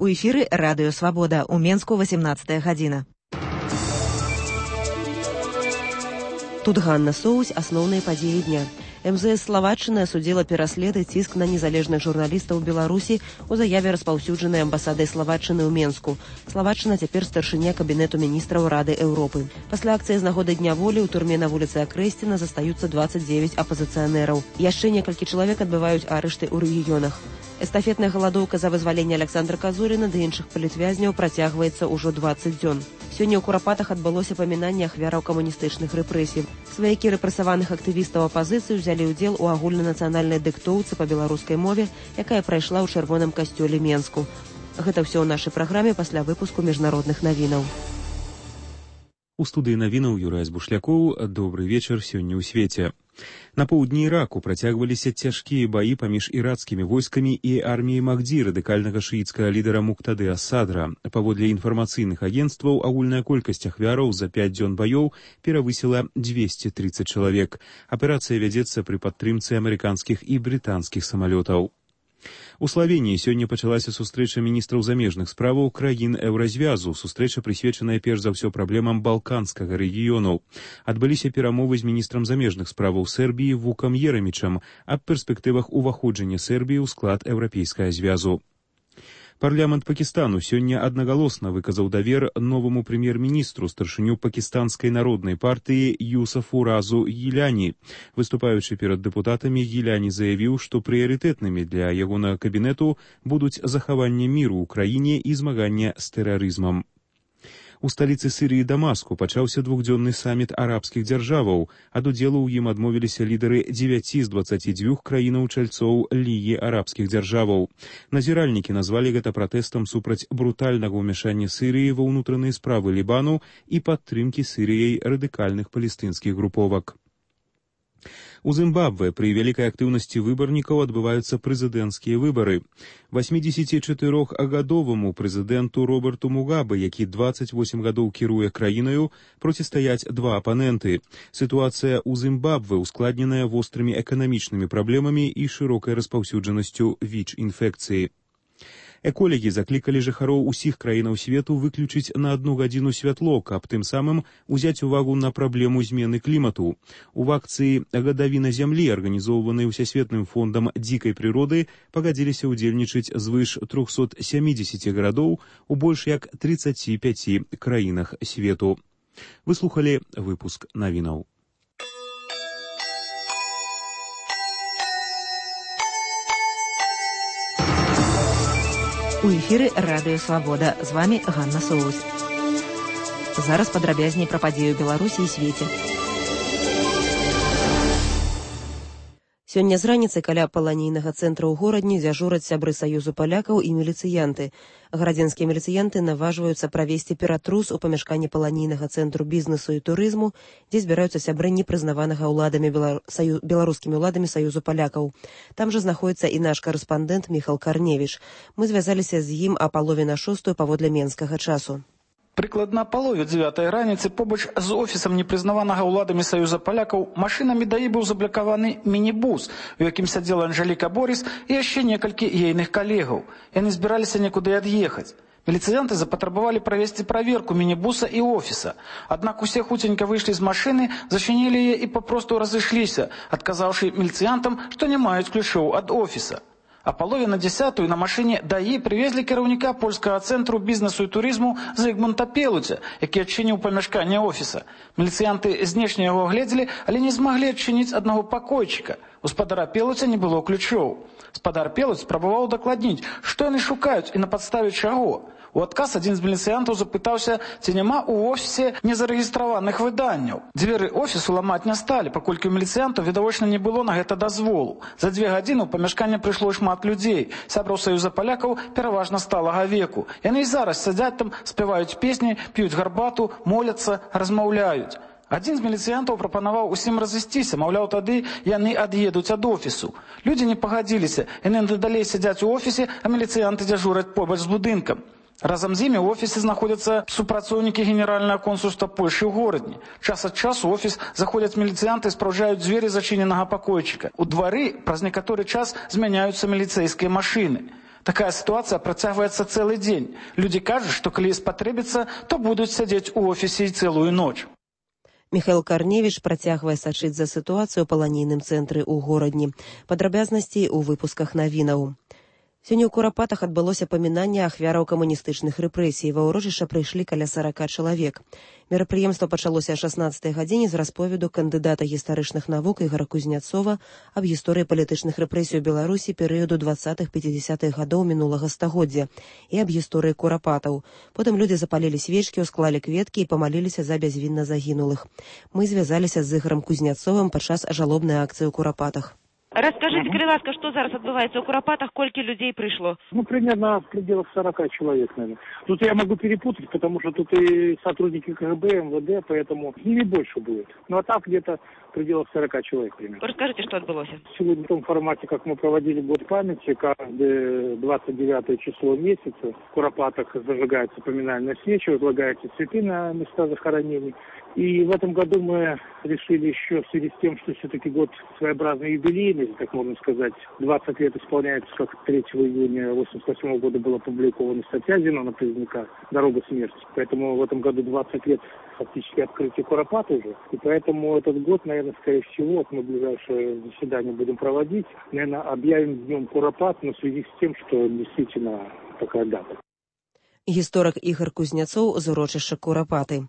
У эфіры Радыё Свабода. У Менску 18 гадзіна. Тут Ганна Соусь, асноўныя падзеі дня. МЗС Словаччыны асудзіла пераслед і ціск на незалежных журналістаў Беларусі у заяве, распаўсюджанай амбасадай Словаччыны ў Менску. Словаччына цяпер старшыня кабінету міністраў Рады Еўропы. Пасля акцыі з нагоды Дня волі ў турме на вуліцы Акрэсціна застаюцца 29 апазіцыянераў. Яшчэ некалькі чалавек адбываюць арышты ў рэгіёнах. Эстафетная галадоўка за вызваленне Александра Казуріна ды іншых палітвязняў працягваецца ўжо 20 дзён. Сёння ў Курапатах адбылося памінанне ахвяраў камуністычных рэпрэсій. Сваякі рэпрэсаваных актывістаў апазіцыі ўзялі ўдзел у агульнанацыянальнай дыктоўцы па беларускай мове, якая прайшла ў чырвоным касцёле Менску. Гэта ўсё ў нашай праграме пасля выпуску міжнародных навінаў. У студыі навінаў Юрай Збушлякоў. Добры вечар сёння ў свеце. На поўдні Іраку працягваліся цяжкія баі паміж іракскімі войскамі і арміяй Махді, радыкальнага шыіцкага лідара Муктады ас-Садра. Паводле інфармацыйных агенцтваў, агульная колькасць ахвяраў за 5 дзён баёў перавысіла 230 чалавек. Аперацыя вядзецца пры падтрымцы амерыканскіх і брытанскіх самалётаў. У Славеніі сёння пачалася сустрэча міністраў замежных справаў краін Еўразвязу. Сустрэча прысвечаная перш за ўсё праблемам балканскага рэгіёну. Адбыліся перамовы з міністрам замежных справаў Сербіі Вукам Ерамічам аб перспектывах уваходжання Сербіі ў склад Еўрапейскага звязу. Парламент Пакістану сёння аднагалосна выказаў давер новаму прэм'ер-міністру, старшыню пакістанскай народнай партыі Юсафу Разу Гіляні. Выступаючы перад дэпутатамі, Гіляні заявіў, што прыярытэтнымі для ягонага кабінету будуць захаванне міру ў краіне і змаганне з тэрарызмам. У сталіцы Сірыі Дамаску пачаўся двухдзённы саміт арабскіх дзяржаваў. Ад удзелу ў ім адмовіліся лідары 9 з 22 краінаў-чальцоў Лігі арабскіх дзяржаваў. Назіральнікі назвалі гэта пратэстам супраць брутальнага ўмяшання Сірыі ва ўнутраныя справы Лібану і падтрымкі Сірыяй радыкальных палестынскіх груповак. У Зімбабве пры вялікай актыўнасці выбарнікаў адбываюцца прэзідэнцкія выбары. 84-гадоваму прэзідэнту Роберту Мугабе, які 28 гадоў кіруе краінаю, процістаяць два апаненты. Сітуацыя ў Зімбабве ускладненая вострымі эканамічнымі праблемамі і шырокай распаўсюджанасцю ВІЧ-інфекцыі. Эколагі заклікалі жыхароў усіх краінаў свету выключыць на 1 гадзіну святло, каб тым самым узяць увагу на праблему змены клімату. У акцыі «Гадавіна зямлі», арганізоўванай Усесветным фондам дзікай прыроды, пагадзіліся ўдзельнічаць звыш 370 гарадоў у больш як 35 краінах свету. Вы слухалі выпуск навінаў. У эфіры Радыё Свабода. З вамі Ганна Соусь. Зараз падрабязней пра падзею Беларусі і свеце. Сёння з раніцы каля паланійнага цэнтра ў горадні дзяжураць сябры Саюзу палякаў і міліцыянты. Гарадзенскія міліцыянты наважваюцца правесці ператрус у памяшканні паланійнага цэнтру бізнесу і турызму, дзе збіраюцца сябры непрызнаванага беларускімі ўладамі Саюзу палякаў. Там жа знаходіцца і наш карэспандэнт Міхал Карневіч. Мы звязаліся з ім а палове на 6 паводле менскага часу. Прыкладна палове 9 раніцы побач з офісам непрызнаванага ўладамі Саюза палякаў машынамі даі быў заблакаваны мінібус, у якім сядзела Анжеліка Борис і яшчэ некалькі ейных калегаў. Яны збіраліся некуды ад'ехаць. Міліцыянты запатрабавалі правесці праверку мінібуса і офіса. Аднак усе хуценька выйшлі з машыны, зачынілі яе і папросту разышліся, адказаўшы міліцыянтам, што не маюць ключоў ад офіса. А палове на 10 на машыне даі прывезлі кіраўніка польскага цэнтру бізнесу і турызму Зygmunta Пелуця, які адчыніў памяшканне офіса. Міліцыянты знешне яго агледзелі, але не змаглі адчыніць аднаго пакойчыка. У спадара Пелуця не было ключоў. Спадар Пелуц спрабаваў дакладніць, што яны шукаюць і на падставе чаго. У адказ адзін з міліцыянтаў запытаўся, ці няма ў офісе незарэгістраваных выданняў. Дзверы офісу ламаць не сталі, паколькі ў міліцыянтаў відавочна не было на гэта дазволу. За 2 гадзіны ў памяшканне прыйшло шмат людзей. Сябраў Саюза палякаў пераважна сталага веку. Яны і зараз сядзяць там, спяваюць песні, п'юць гарбату, моляцца, размаўляюць. Адзін з міліцыянтаў прапанаваў усім разысціся, маўляў, тады яны ад'едуць ад офісу. Людзі не пагадзіліся, яны надалей сядзяць у офісе, а міліцыянты дзяжураць побач з будынкам. Разам з імі ў офісе знаходзяцца супрацоўнікі генеральнага консульства Польшы ў горадні. Час ад часу ў офіс заходзяць міліцыянты і спраўджаюць дзверы зачыненага пакойчыка. У двары праз некаторы час змяняюцца міліцэйскія машыны. Такая ситуация працягваецца цэлы дзень. Людзі кажуць, што калі спатрэбіцца, то будуць сядзець у офісе і цэлую ноч. Михаил Карневич працягвае сачыць за сітуацыю ў паланійным цэнтры ў горадні. Падрабязнасці ў выпусках навінаў. Сёння ў Курапатах адбылося памінанне ахвяраў камуністычных рэпрэсій. Ва ўрочышча прыйшлі каля 40 чалавек. Мерапрыемства пачалося о 16 гадзіне з расповеду кандыдата гістарычных навук Ігора Кузняцова аб гісторыі палітычных рэпрэсій у Беларусі перыяду 20-50-х гадоў мінулага стагоддзя і аб гісторыі Курапатаў. Потым людзі запалілі свечкі, усклалі кветкі і памаліліся за бязвінна загінулых. Мы звязаліся з Ігорам Кузняцовым падчас жалобнай акцыі ў Курапатах. Расскажите, калі ласка, что зараз отбывается у Курапатах, сколько людей пришло? Примерно в пределах 40 человек, наверное. Тут я могу перепутать, потому что тут и сотрудники КГБ, МВД, поэтому с ними больше будет. Ну а так где-то в пределах 40 человек примерно. Расскажите, что отбылось? Сегодня в том формате, как мы проводили год памяти, каждое 29 число месяца в Куропатах зажигаются поминальные свечи, возлагаются цветы на места захоронений. И в этом году мы решили еще в связи с тем, что все-таки год своеобразный юбилейный, так можно сказать, 20 лет исполняется, как 3 июня 1988 года была опубликована статья Зенона Поздняка «Дорога смерти». Поэтому в этом году 20 лет фактически открытия Куропат уже. И поэтому этот год, наверное, скорее всего, вот мы ближайшее заседание будем проводить, наверное, объявим днем Куропат, но в связи с тем, что действительно такая дата. Гісторык Ігор Кузняцоў з урочышча Курапаты.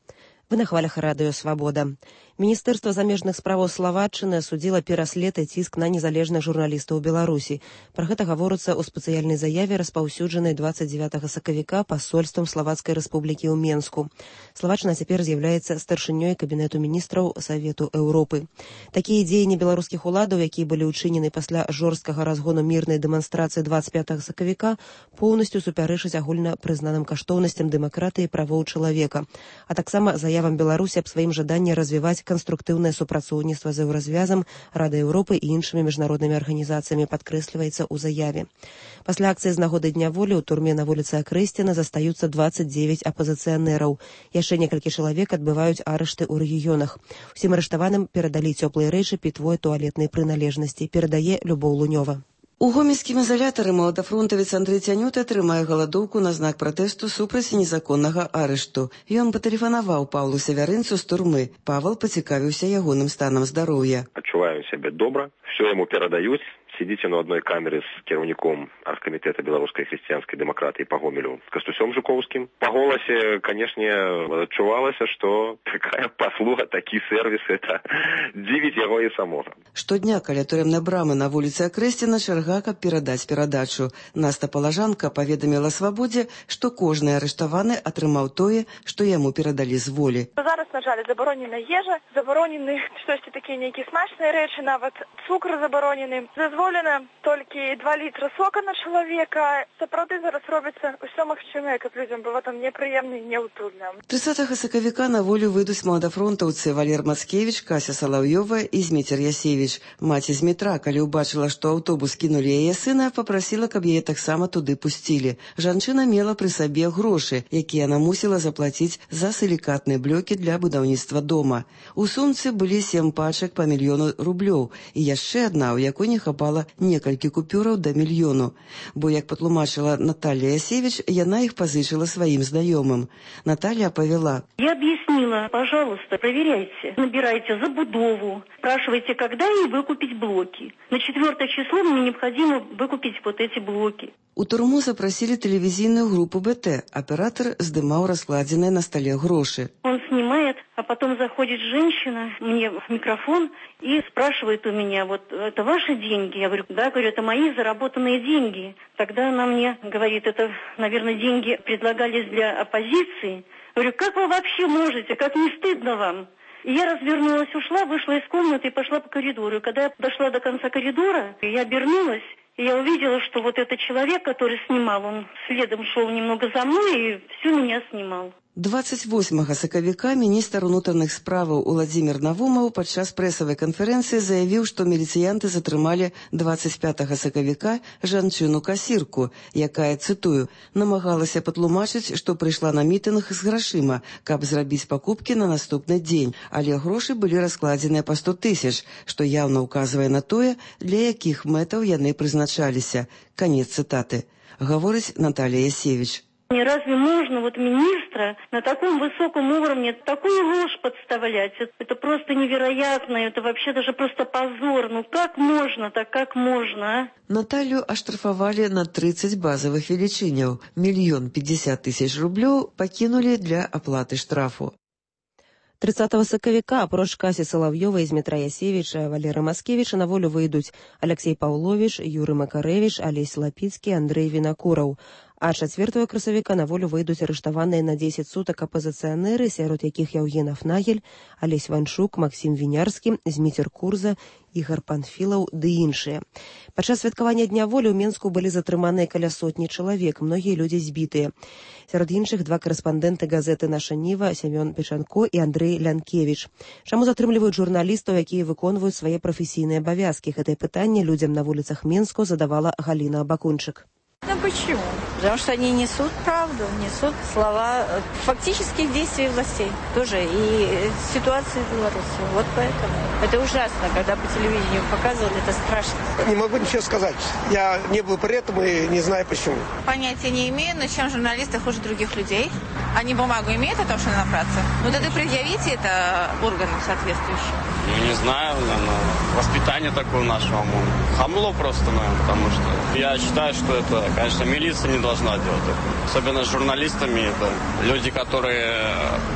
Вы на хвалях радыё «Свабода». Міністэрства замежных справаў Славаччыны асудзіла пераслед і ціск на незалежных журналістаў у Беларусі. Пра гэта гаворыцца ў спецыяльнай заяве, распаўсюджанай 29 сакавіка пасольствам Славацкай рэспублікі ў Менску. Славаччына цяпер з'яўляецца старшынёй кабінету міністраў Савету Еўропы. Такія дзеянні беларускіх уладаў, якія былі ўчынены пасля жорсткага разгону мірнай дэманстрацыі 25 сакавіка, поўнасцю супярэчаць агульна прызнаным каштоўнасцям дэмакратыі і правоў чалавека, а таксама заявам Беларусі аб сваім жаданні развіваць канструктыўнае супрацоўніцтва з Еўразвязам, Радай Еўропы і іншымі міжнароднымі арганізацыямі, падкрэсліваецца ў заяве. Пасля акцыі з нагоды Дня волі ў турме на вуліцы Акрэсціна застаюцца 29 апазіцыянераў. Яшчэ некалькі чалавек адбываюць арышты ў рэгіёнах. Усім арыштаваным перадалі цёплыя рэчы, пітво і туалетнай прыналежнасці, перадае Любоў Лунёва. У гомельскім ізалятары маладафронтавец Андрэй Цянюта атрымае галадоўку на знак пратэсту супраць незаконнага арышту. Ён патэлефанаваў Павлу Сявярынцу з турмы. Павел пацікавіўся ягоным станам здароўя. Адчуваю сябе добра, все яму перадаюць. Сидите на одной камере с кіраўніком Аргкамітэта беларускай хрысціянскай дэмакратыі па Гомелю з Кастусём Жуковскім. Па голасе, канешне, адчувалася, што такая паслуга, такі сервіс, это дзівіць яго і самога. Штодня каля турэмнай брамы на вуліцы Акрэсціна чарга, каб перадаць перадачу. Наста Палажанка паведаміла Свабодзе, што кожны арыштаваны атрымаў тое, што яму перадалі з волі. Зараз, на жаль, забаронена ежа, забаронены штосьці такія нейкія смачныя рэчы, нават цукр забаронены. Дазволена толькі 2 літра сока на чалавека. Сапраўды зараз робіцца ўсё магчымае, каб людзям было там непрыемна і няўтульна. 30 сакавіка на волю выйдуць маладафронтаўцы Валер Мацкевіч, Кася Салаўёва і Зміцер Ясевіч. Маці Змітра, калі ўбачыла, што аўтобус кінулі яе сына, папрасіла, каб яе таксама туды пусцілі. Жанчына мела пры сабе грошы, якія яна мусіла заплаціць за сілікатныя блокі для будаўніцтва дома. У сумцы былі 7 пачак па 1 000 000 рублёў і яшчэ адна, у якой не хапала некалькі купюраў да 1 000 000. Бо, як патлумачыла Наталья Ясевіч, яна іх пазычыла сваім знаёмым. Наталья повела. Я объяснила, пожалуйста, проверяйте, набирайте забудову, спрашивайте, когда ей выкупить блоки. На 4 число мне необходимо выкупить вот эти блоки. У турму запросили телевизийную группу БТ. Оператор здымаў раскладенные на столе гроши. Он снимает, а потом заходит женщина мне в микрофон и спрашивает у меня, вот это ваши деньги? Я говорю, да, говорю, это мои заработанные деньги. Тогда она мне говорит, это, наверное, деньги предлагались для оппозиции. Говорю, как вы вообще можете, как не стыдно вам? И я развернулась, ушла, вышла из комнаты и пошла по коридору. И когда я дошла до конца коридора, я обернулась, и я увидела, что вот этот человек, который снимал, он следом шел немного за мной и всю меня снимал. 28 сакавіка міністр унутраных справаў Уладзімір Навумаў падчас прэсавай канферэнцыі заявіў, што міліцыянты затрымалі 25 сакавіка жанчыну-касірку, якая, цытую, намагалася патлумачыць, што прыйшла на мітынг з грашыма, каб зрабіць пакупкі на наступны дзень, але грошы былі раскладзеныя па 100 000, што яўна ўказвае на тое, для якіх мэтаў яны прызначаліся. Канец цытаты. гаворыць Наталья Ясевич. Разве можно министра на таком высоком уровне такую ложь подставлять? Это просто невероятно, это вообще даже просто позор. Как можно так, как можно, а? Наталью аштрафавалі на 30 базовых велічыняў. 1 050 000 рублёў пакінулі для аплаты штрафу. 30 сакавіка апроч Касі Салаўёвай, Змітра Ясевіча, Валеры Маскевіча на волю выйдуць Алексей Паўловіч, Юры Макарэвіч, Алесь Лапіцкі, Андрэй Вінакураў. А 4 красавіка на волю выйдуць арыштаваныя на 10 сутак апазіцыянеры, сярод якіх Яўген Афнагель, Алесь Ванчук, Максім Вінярскі, Зміцер Курза, Ігар Панфілаў ды іншыя. Падчас святкавання Дня волі ў Менску былі затрыманыя каля сотні чалавек, многія людзі збітыя. Сярод іншых 2 карэспандэнты газеты «Наша Ніва» Сямён Печанко і Андрэй Лянкевіч. Чаму затрымліваюць журналістаў, якія выконваюць свае прафесійныя абавязкі? Гэтае пытанне людзям на вуліцах Менску задавала Галіна Абакунчык. Почему? Потому что они несут правду, несут слова фактических действий властей. Тоже и ситуации в Беларуси. Вот поэтому. Это ужасно, когда по телевидению показывали, это страшно. Не могу ничего сказать. Я не был при этом и не знаю почему. Понятия не имею, но чем журналисты хуже других людей? Они бумагу имеют о том, что напраться? Ну тогда предъявите это органам соответствующим. Не знаю, наверное, воспитание такое нашего хамло просто, наверное, потому что я считаю, что это, конечно, милиция не должна делать это. Особенно с журналистами, это люди, которые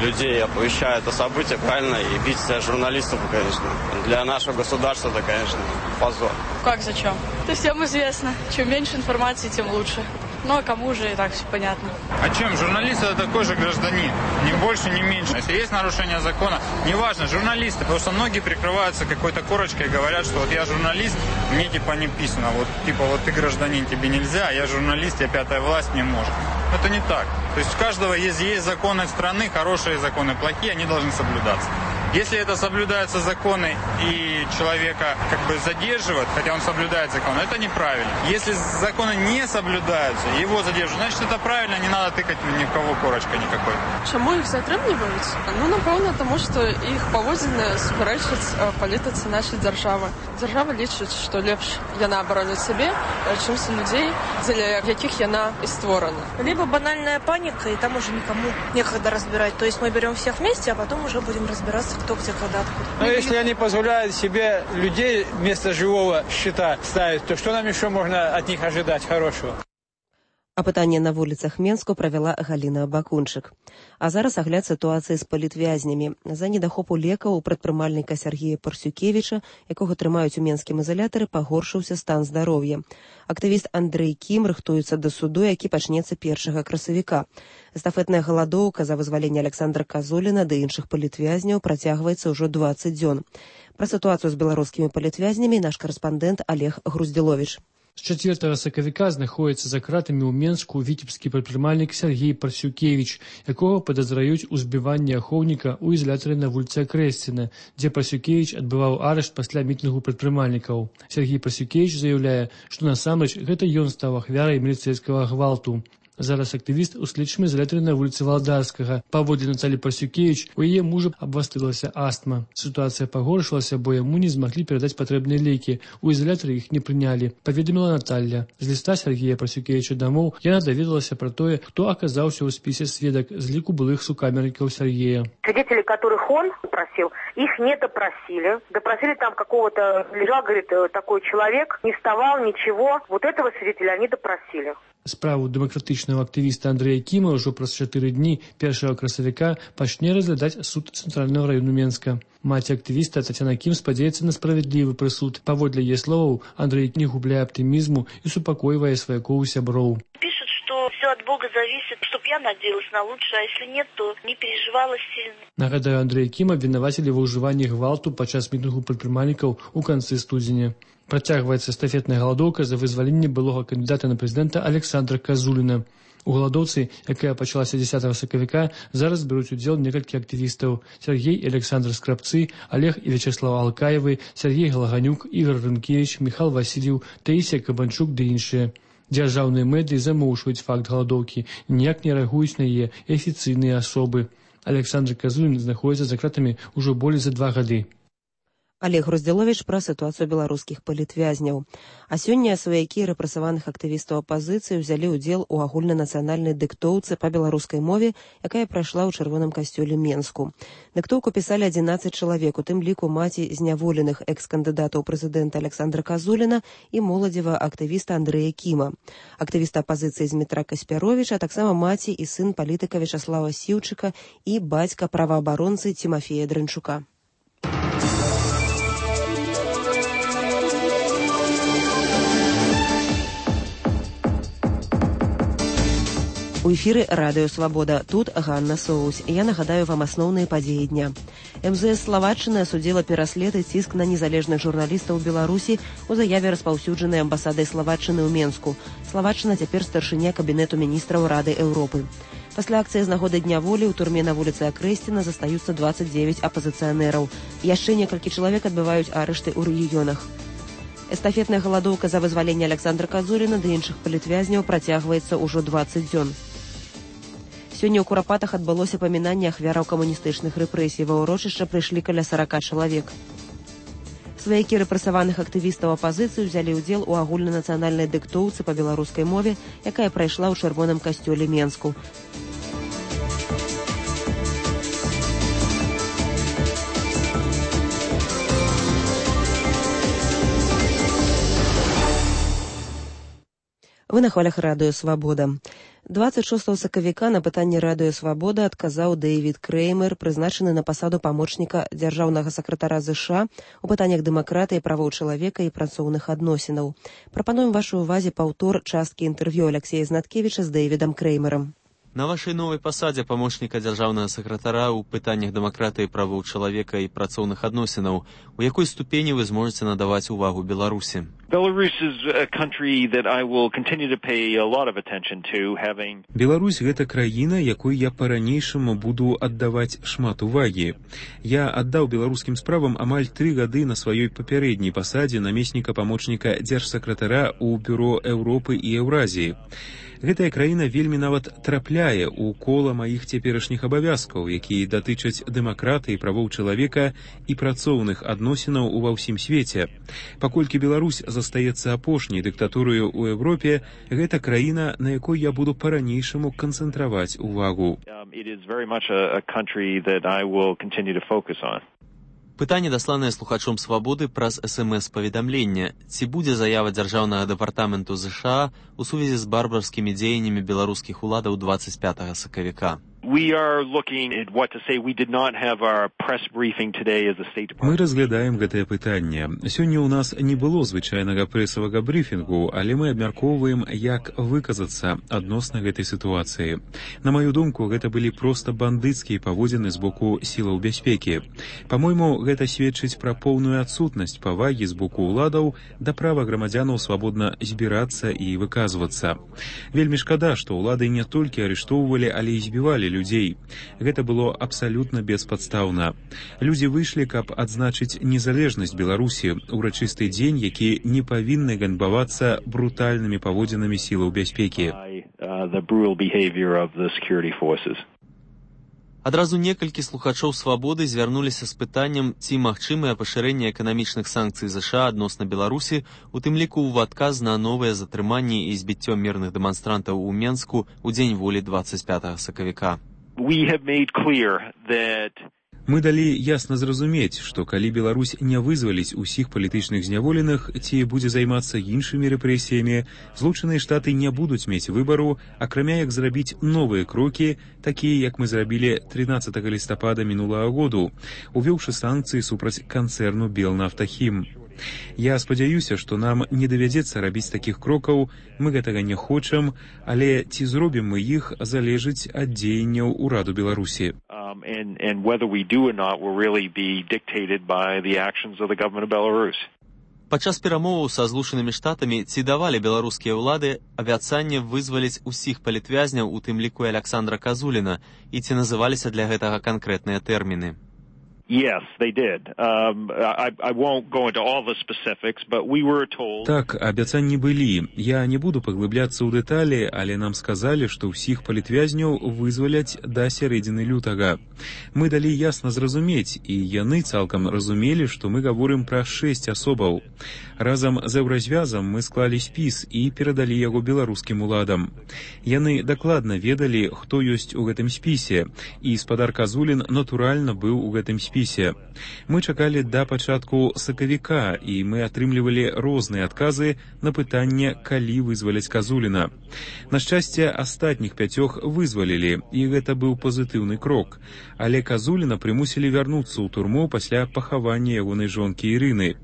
людей оповещают о событиях, правильно, и бить журналистов, конечно. Для нашего государства это, конечно, позор. Как зачем? То всем известно, чем меньше информации, тем лучше. Ну, а кому же и так все понятно. А чем? Журналист — это такой же гражданин. Ни больше, ни меньше. Если есть нарушение закона, неважно, журналисты, потому что многие прикрываются какой-то корочкой и говорят, что вот я журналист, мне типа не писано. Вот типа вот ты гражданин, тебе нельзя, а я журналист, я пятая власть, не может. Это не так. То есть у каждого есть законы страны, хорошие законы, плохие, они должны соблюдаться. Если это соблюдаются законы и человека как бы задерживают, хотя он соблюдает законы, это неправильно. Если законы не соблюдаются, его задерживают, значит это правильно, не надо тыкать ни в кого корочкой никакой. Чому їх затримлюють? Ну, напевно, тому що їх поводження суперечить політиці нашої держави. Держава лічить, що ліпше яна боронить себе, чимсь людей, для яких яна і створена. Либо банальная паника, и там уже никому некогда разбирать. То есть мы берем всех вместе, а потом уже будем разбираться, кто где, когда, откуда. Но если они позволяют себе людей вместо живого щита ставить, то что нам еще можно от них ожидать хорошего? Апытанне на вуліцах Менску правяла Галіна Абакунчык. А зараз агляд сітуацыі з палітвязнямі. За недахопу лекаў у прадпрымальніка Сергея Парсюкевіча, якога трымаюць у менскім ізалятары, пагоршыўся стан здароўя. Актывіст Андрэй Кім рыхтуецца да суду, які пачнецца 1 красавіка. Эстафетная галадоўка за вызваленне Александра Казуліна ды іншых палітвязняў працягваецца ўжо 20 дзён. Пра сітуацыю з беларускімі палітвязнямі наш карэспандэнт Олег Груздзіловіч. З 4 сакавіка знаходзіцца за кратамі ў Менску віцебскі прадпрымальнік Сергей Парсюкевіч, якога падазраюць у збіванні ахоўніка ў ізалятары на вуліцы Акрэсціна, дзе Парсюкевіч адбываў арышт пасля мітынгу прадпрымальнікаў. Сергей Парсюкевіч заяўляе, што насамрэч гэта ён стаў ахвярай міліцэйскага гвалту. Зараз актывіст у следчым ізалятары на вуліцы Валдарскага. Паводле Наталі Парсюкевіч, у яе мужа абвастрылася астма. Сітуацыя пагоршылася, бо яму не змаглі перадаць патрэбныя лекі. У ізалятары іх не прынялі, паведаміла Наталья. З ліста Сергея Парсюкевіча дамоў яна даведалася пра тое, хто аказаўся ў спісе сведак з ліку былых сукамернікаў Сергея. Свидетелей, которых он просил, их не допросили. Допросили там какого-то, лежал, говорит, такой человек, не вставал, ничего. Вот этого свидетеля они допросили. Справу дэмакратычнага актывіста Андрэя Кіма ўжо праз 4 дні 1 красавіка пачне разглядаць суд Цэнтральнага раёну Менска. Маці актывіста Тацяна Кім спадзяецца на справядлівы прысуд. Паводле яе словаў, Андрэй не губляе аптымізму і супакойвае сваякоў сяброў. Пишут, что все от Бога зависит, чтоб я надеялась на лучшее, а если нет, то не переживала сильно. Нагадаю, Андрэя Кіма абвінавацілі ва ўжыванні гвалту падчас мітынгу прадпрымальнікаў у канцы студзеня. Працягваецца эстафетная галадоўка за вызваленне былога кандыдата на прэзідэнта Александра Казуліна. У галадоўцы, якая пачалася 10 сакавіка, зараз беруць удзел некалькі актывістаў: Сергей і Александр Скрабцы, Олег і Вячеслав Алкаевы, Сергей Галаганюк, Ігор Рынкевич, Михал Васильев, Таисия Кабанчук ды іншыя. Дзяржаўныя медыі замоўчваюць факт галадоўкі, ніяк не рэагуюць на яе афіцыйныя асобы. Александр Казулін знаходзіцца за кратамі ўжо болей за 2 гады. Олег Груздзіловіч пра сітуацыю беларускіх палітвязняў. А сёння сваякі рэпрэсаваных актывістаў апазіцыі ўзялі ўдзел у агульнанацыянальнай дыктоўцы па беларускай мове, якая прайшла ў чырвоным касцёле Менску. Дыктоўку пісалі 11 чалавек, у тым ліку маці зняволеных экс-кандыдата ў прэзідэнта Александра Казуліна і моладзевага актывіста Андрэя Кіма. Актывіста апазіцыі Змітра Каспяровіча, а таксама маці і сын палітыка Вячаслава Сіўчыка і бацька праваабаронцы Цімафея Дрынчука. У эфіры Радыё Свабода. Тут Ганна Соус. Я нагадаю вам асноўныя падзеі дня. МЗС Славаччыны асудзіла пераслед і ціск на незалежных журналістаў Беларусі у заяве, распаўсюджанай амбасадай Славаччыны ў Менску. Славаччына цяпер старшыня кабінету міністраў Рады Еўропы. Пасля акцыі з нагоды Дня волі ў турме на вуліцы Акрэсціна застаюцца 29 апазіцыянераў. Яшчэ некалькі чалавек адбываюць арышты ў рэгіёнах. Эстафетная галадоўка за вызваленне Александра Казуліна ды іншых палітвязняў працягваецца ўжо 20 дзён. Сёння ў Курапатах адбылося памінанне ахвяраў камуністычных рэпрэсій. Ва ўрочышча прыйшлі каля 40 чалавек. Сваякі рэпрэсаваных актывістаў апазіцыі ўзялі ўдзел у агульнанацыянальнай дыктоўцы па беларускай мове, якая прайшла ў чырвоным касцёле Менску. Вы на хвалях Радыё Свабода. 26 сакавіка на пытанне Радыё Свабода адказаў Дэвід Крэймер, прызначаны на пасаду памочніка дзяржаўнага сакратара ЗША у пытаннях дэмакратыі, правоў чалавека і працоўных адносінаў. Прапануем вашай увазе паўтор часткі інтэрв'ю Алексея Знаткевіча з Дэвідам Крэймерам. На вашай новай пасадзе памочніка дзяржаўнага сакратара ў пытаннях дэмакратыі, правоў чалавека і працоўных адносінаў, у якой ступені вы зможаце надаваць увагу Беларусі? Беларусь – гэта краіна, якой я па-ранейшаму буду аддаваць шмат увагі. Я аддаў беларускім справам амаль 3 гады на сваёй папярэдняй пасадзе намесніка памочніка дзяржсакратара ў Бюро Еўропы і Еўразіі. Гэтая краіна вельмі нават трапляе ў кола маіх цяперашніх абавязкаў, якія датычаць дэмакратыі, правоў чалавека і працоўных адносінаў ува ўсім свеце. Паколькі Беларусь застаецца апошняй дыктатурою ў Еўропе, гэта краіна, на якой я буду па-ранейшаму канцэнтраваць увагу. Пытанне, дасланае слухачом Свабоды праз СМС-паведамленне. Ці будзе заява дзяржаўнага дэпартаменту ЗША у сувязі з барбарскімі дзеяннямі беларускіх уладаў 25 сакавіка? Мы разглядаем гэтае пытанне. Сёння ў нас не было звычайнага прэсавага брыфінгу, але мы абмяркоўваем, як выказацца адносна гэтай сітуацыі. На маю думку, гэта былі проста бандыцкія паводзіны з боку сілаў бяспекі. Па-мойму, гэта сведчыць пра поўную адсутнасць павагі з боку ўладаў да права грамадзянаў свабодна збірацца і выказвацца. Вельмі шкада, што ўлады не толькі арыштоўвалі, але і збівалі людзей. Гэта было абсалютна беспадстаўна. Людзі выйшлі, каб адзначыць незалежнасць Беларусі, урачысты дзень, які не павінны ганьбавацца брутальнымі паводзінамі сілаў бяспекі. Адразу некалькі слухачоў Свабоды звярнуліся з пытаннем, ці магчымае пашырэнне эканамічных санкцый ЗША адносна Беларусі, у тым ліку ў адказ на новыя затрыманні і збіццё мірных дэманстрантаў у Менску ў дзень волі 25 сакавіка. Мы далі ясна зразумець, што калі Беларусь не вызваліць усіх палітычных зняволеных ці будзе займацца іншымі рэпрэсіямі, Злучаныя Штаты не будуць мець выбару, акрамя як зрабіць новыя крокі, такія, як мы зрабілі 13 лістапада мінулага году, увёўшы санкцыі супраць канцэрну Белнафтахім. Я спадзяюся, што нам не давядзецца рабіць такіх крокаў, мы гэтага не хочам, але ці зробім мы іх, залежыць ад дзеянняў ураду Беларусі. Падчас перамоваў са Злучанымі Штатамі ці давалі беларускія ўлады абяцанне вызваліць усіх палітвязняў, у тым ліку і Александра Казуліна, і ці называліся для гэтага канкрэтныя тэрміны? Yes, they did. I won't go into all the specifics, but we were told... Так, абяцанні былі. Я не буду паглыбляцца ў дэталі, але нам сказалі, што ўсіх палітвязняў вызваляць да сярэдзіны лютага. Мы далі ясна зразумець, і яны цалкам разумелі, што мы гаворым пра 6 асобаў. Разам з Еўразвязам мы склалі спіс і перадалі яго беларускім уладам. Яны дакладна ведалі, хто ёсць у гэтым спісе, і спадар Казулін натуральна быў у гэтым спісе. Мы чакалі да пачатку сакавіка, і мы атрымлівалі розныя адказы на пытанне, калі вызваляць Казуліна. На шчасце, астатніх 5 вызвалілі, і гэта быў пазітыўны крок. Але Казуліна прымусілі вярнуцца ў турму пасля пахавання ягонай жонкі Ірыны.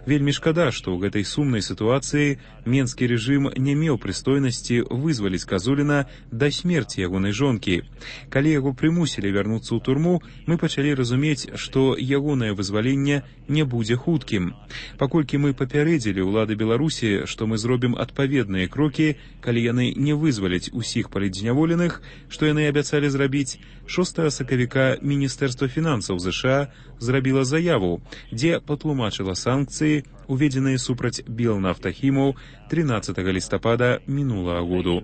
Вельмі шкада, што ў гэтай сумнай сітуацыі менскі рэжым не меў прыстойнасці вызваліць Казуліна да смерці ягонай жонкі. Калі яго прымусілі вярнуцца ў турму, мы пачалі разумець, што ягонае вызваленне не будзе хуткім. Паколькі мы папярэдзілі ўлады Беларусі, што мы зробім адпаведныя крокі, калі яны не вызваляць усіх палітзняволеных, што яны абяцалі зрабіць, 6 сакавіка Міністэрства фінансаў ЗША зрабіла заяву, дзе патлумачыла санкцыі, уведзеныя супраць Белнафтахімаў 13 лістапада мінулага году.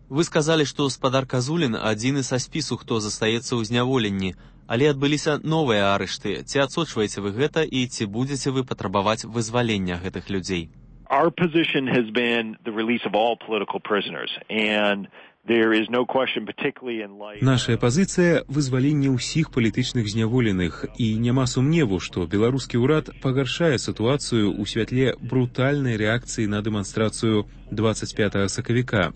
Вы сказалі, што спадар Казулін адзіны са спісу, хто застаецца ў зняволенні, але адбыліся новыя арышты. Ці адсочваеце вы гэта і ці будзеце вы патрабаваць вызвалення гэтых людзей? Our position has been the release of all political prisoners, and there is no question, particularly in light... Нашая пазіцыя – вызваленне ўсіх палітычных зняволеных, і няма сумневу, што беларускі ўрад пагаршае сітуацыю ў святле брутальнай рэакцыі на дэманстрацыю 25 сакавіка.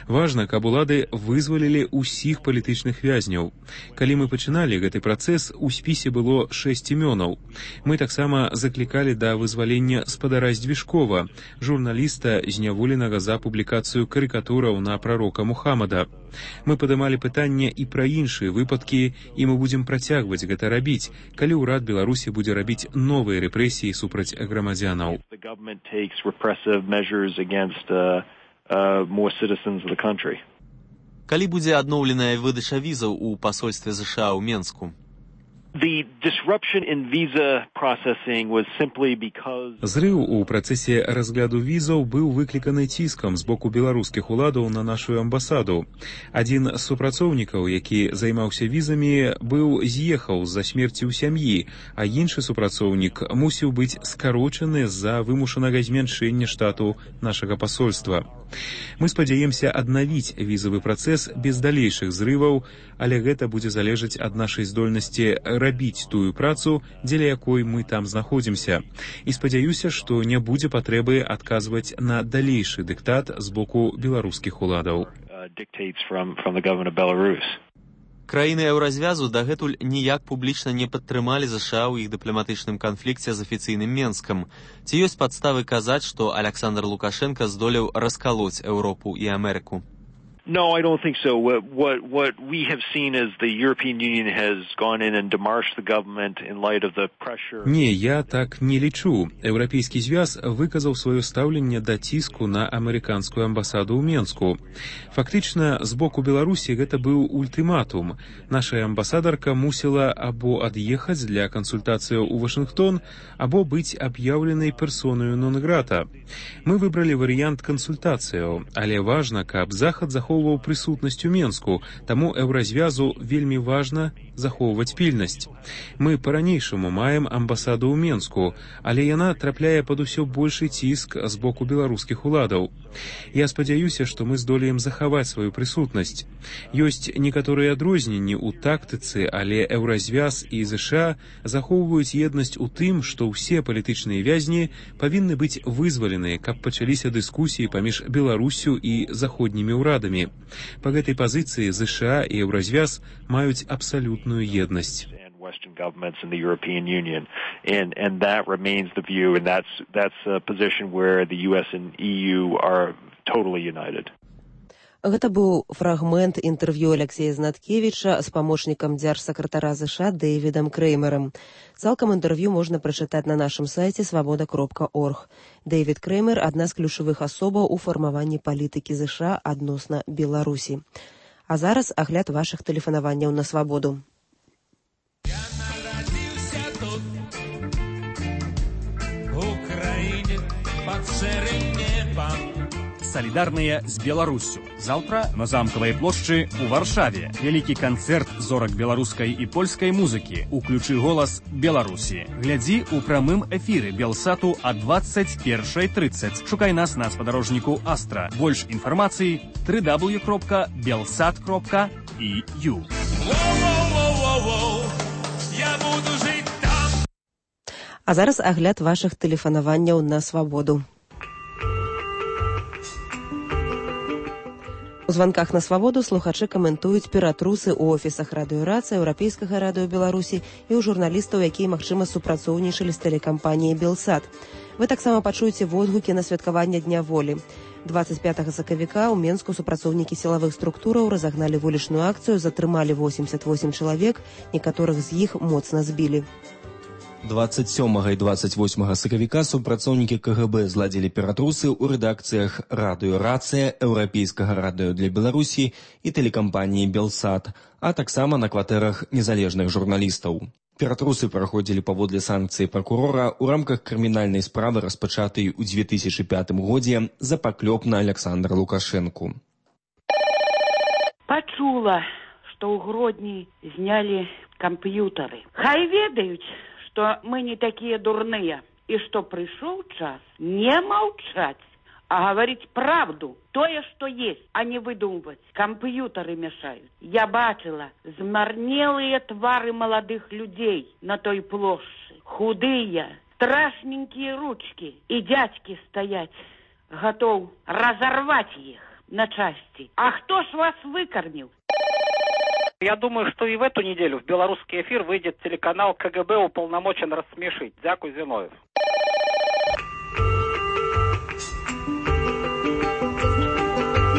Важна, каб улады вызвалілі ўсіх палітычных вязняў. Калі мы пачыналі гэты працэс, у спісе было 6 імёнаў. Мы таксама заклікалі да вызвалення спадара Здвижкова, журналіста, зняволенага за публікацыю карыкатураў на прарока Мухаммада. Мы падымалі пытанне і пра іншыя выпадкі, і мы будзем працягваць гэта рабіць, калі ўрад Беларусі будзе рабіць новыя рэпрэсіі супраць грамадзянаў. Калі будзе адноўленая выдача візаў у пасольстве ЗША ў Менску? Зрыў у працэсе разгляду візаў быў выкліканы ціскам з боку беларускіх уладаў на нашу амбасаду. Адзін з супрацоўнікаў, які займаўся візамі, з'ехаў з-за смерці ў сям'і, а іншы супрацоўнік мусіў быць скарочаны з-за вымушанага змяншэння штату нашага пасольства. Мы спадзяемся аднавіць візавы працэс без далейшых зрываў, але гэта будзе залежаць ад нашай здольнасці рабіць тую працу, дзеля якой мы там знаходзімся. І спадзяюся, што не будзе патрэбы адказваць на далейшы дыктат з боку беларускіх уладаў. Краіны Еўразвязу дагэтуль ніяк публічна не падтрымалі ЗША ў іх дыпламатычным канфлікце з афіцыйным Менскам. Ці ёсць падставы казаць, што Александр Лукашенко здолеў раскалоць Еўропу і Амерыку? No, I don't think so. What we have seen is the European Union has gone in and demarched the government in light of the pressure. Не, я так не лічу. Еўрапейскі звяз выказаў сваё стаўленне да ціску на амерыканскую амбасаду ў Менску. Фактычна, з боку Беларусі гэта быў ультыматум. Наша амбасадарка мусіла або ад'ехаць для кансультацыяў у Вашынгтон, або быць аб'яўленай персонаю нон-грата. Мы выбралі варыянт кансультацыяў, але важна, каб Захад захоўваў прысутнасць у Менску, таму Еўразвязу вельмі важна захоўваць пільнасць. Мы па-ранейшаму маем амбасаду ў Менску, але яна трапляе пад усё большы ціск з боку беларускіх уладаў. Я спадзяюся, што мы здолеем захаваць сваю прысутнасць. Ёсць некаторыя адрозненні ў тактыцы, але Еўразвяз і ЗША захоўваюць еднасць у тым, што ўсе палітычныя вязні павінны быць вызваленыя, каб пачаліся дыскусіі паміж Беларусю і заходнімі ўрадамі. Па гэтай пазіцыі ЗША і Еўразвяз маюць абсалютную еднасць. Western governments in the European Union, and that remains the view, and that's a position where the US and EU are totally united. Гэта быў фрагмент інтэрв'ю Алексея Знаткевіча з памочнікам дзяржсакратара ЗША Дэвідам Крэймерам. Цалкам інтэрв'ю можна прачытаць на нашым сайце свабода.орг. Дэвід Крэймер – адна з ключавых асобаў у фармаванні палітыкі ЗША адносна Беларусі. А зараз агляд вашых тэлефанаванняў на свабоду. Салідарныя з Беларуссю. Заўтра на замкавай плошчы ў Варшаве. Вялікі канцэрт зорак беларускай і польскай музыкі. Уключы голас Беларусі. Глядзі ў прамым эфіры Белсату а 21:30. Шукай нас на спадарожніку Астра. Больш інфармацыі www.belsat.eu. А зараз агляд вашых тэлефанаванняў на свабоду. У званках на свабоду слухачы каментуюць ператрусы ў офісах радыёрацыі, Еўрапейскага радыё Беларусі і ў журналістаў, якія, магчыма, супрацоўнічалі з тэлекампаніяй «Белсат». Вы таксама пачуеце водгукі на святкаванне Дня волі. 25 сакавіка ў Менску супрацоўнікі сілавых структураў разагналі вулічную акцыю, затрымалі 88 чалавек, некаторых з іх моцна збілі. 27 і 28 сакавіка супрацоўнікі КГБ зладзілі ператрусы ў рэдакцыях радыёрацыя, Еўрапейскага радыё для Беларусі і тэлекампаніі «Белсат», а таксама на кватэрах незалежных журналістаў. Ператрусы праходзілі паводле санкцыі пракурора ў рамках крымінальнай справы, распачатай у 2005 годзе за паклёп на Александра Лукашэнку. Пачула, што ў Гродні знялі камп'ютары. Хай ведаюць, што мы не такія дурныя, і што прыйшоў час не маўчаць, а гаварыць правду, тое, што есть, а не выдумваць. Камп'ютары мяшаюць. Я бачыла змарнелыя твары маладых людзей на той плошчы. Худыя, страшненькія ручкі, і дзядзькі стаяць, гатоў разарваць іх на часці. А хто ж вас выкарміў? Я думаю, что и в эту неделю в белорусский эфир выйдет телеканал КГБ уполномочен рассмешить. Дякую, Зиновьев.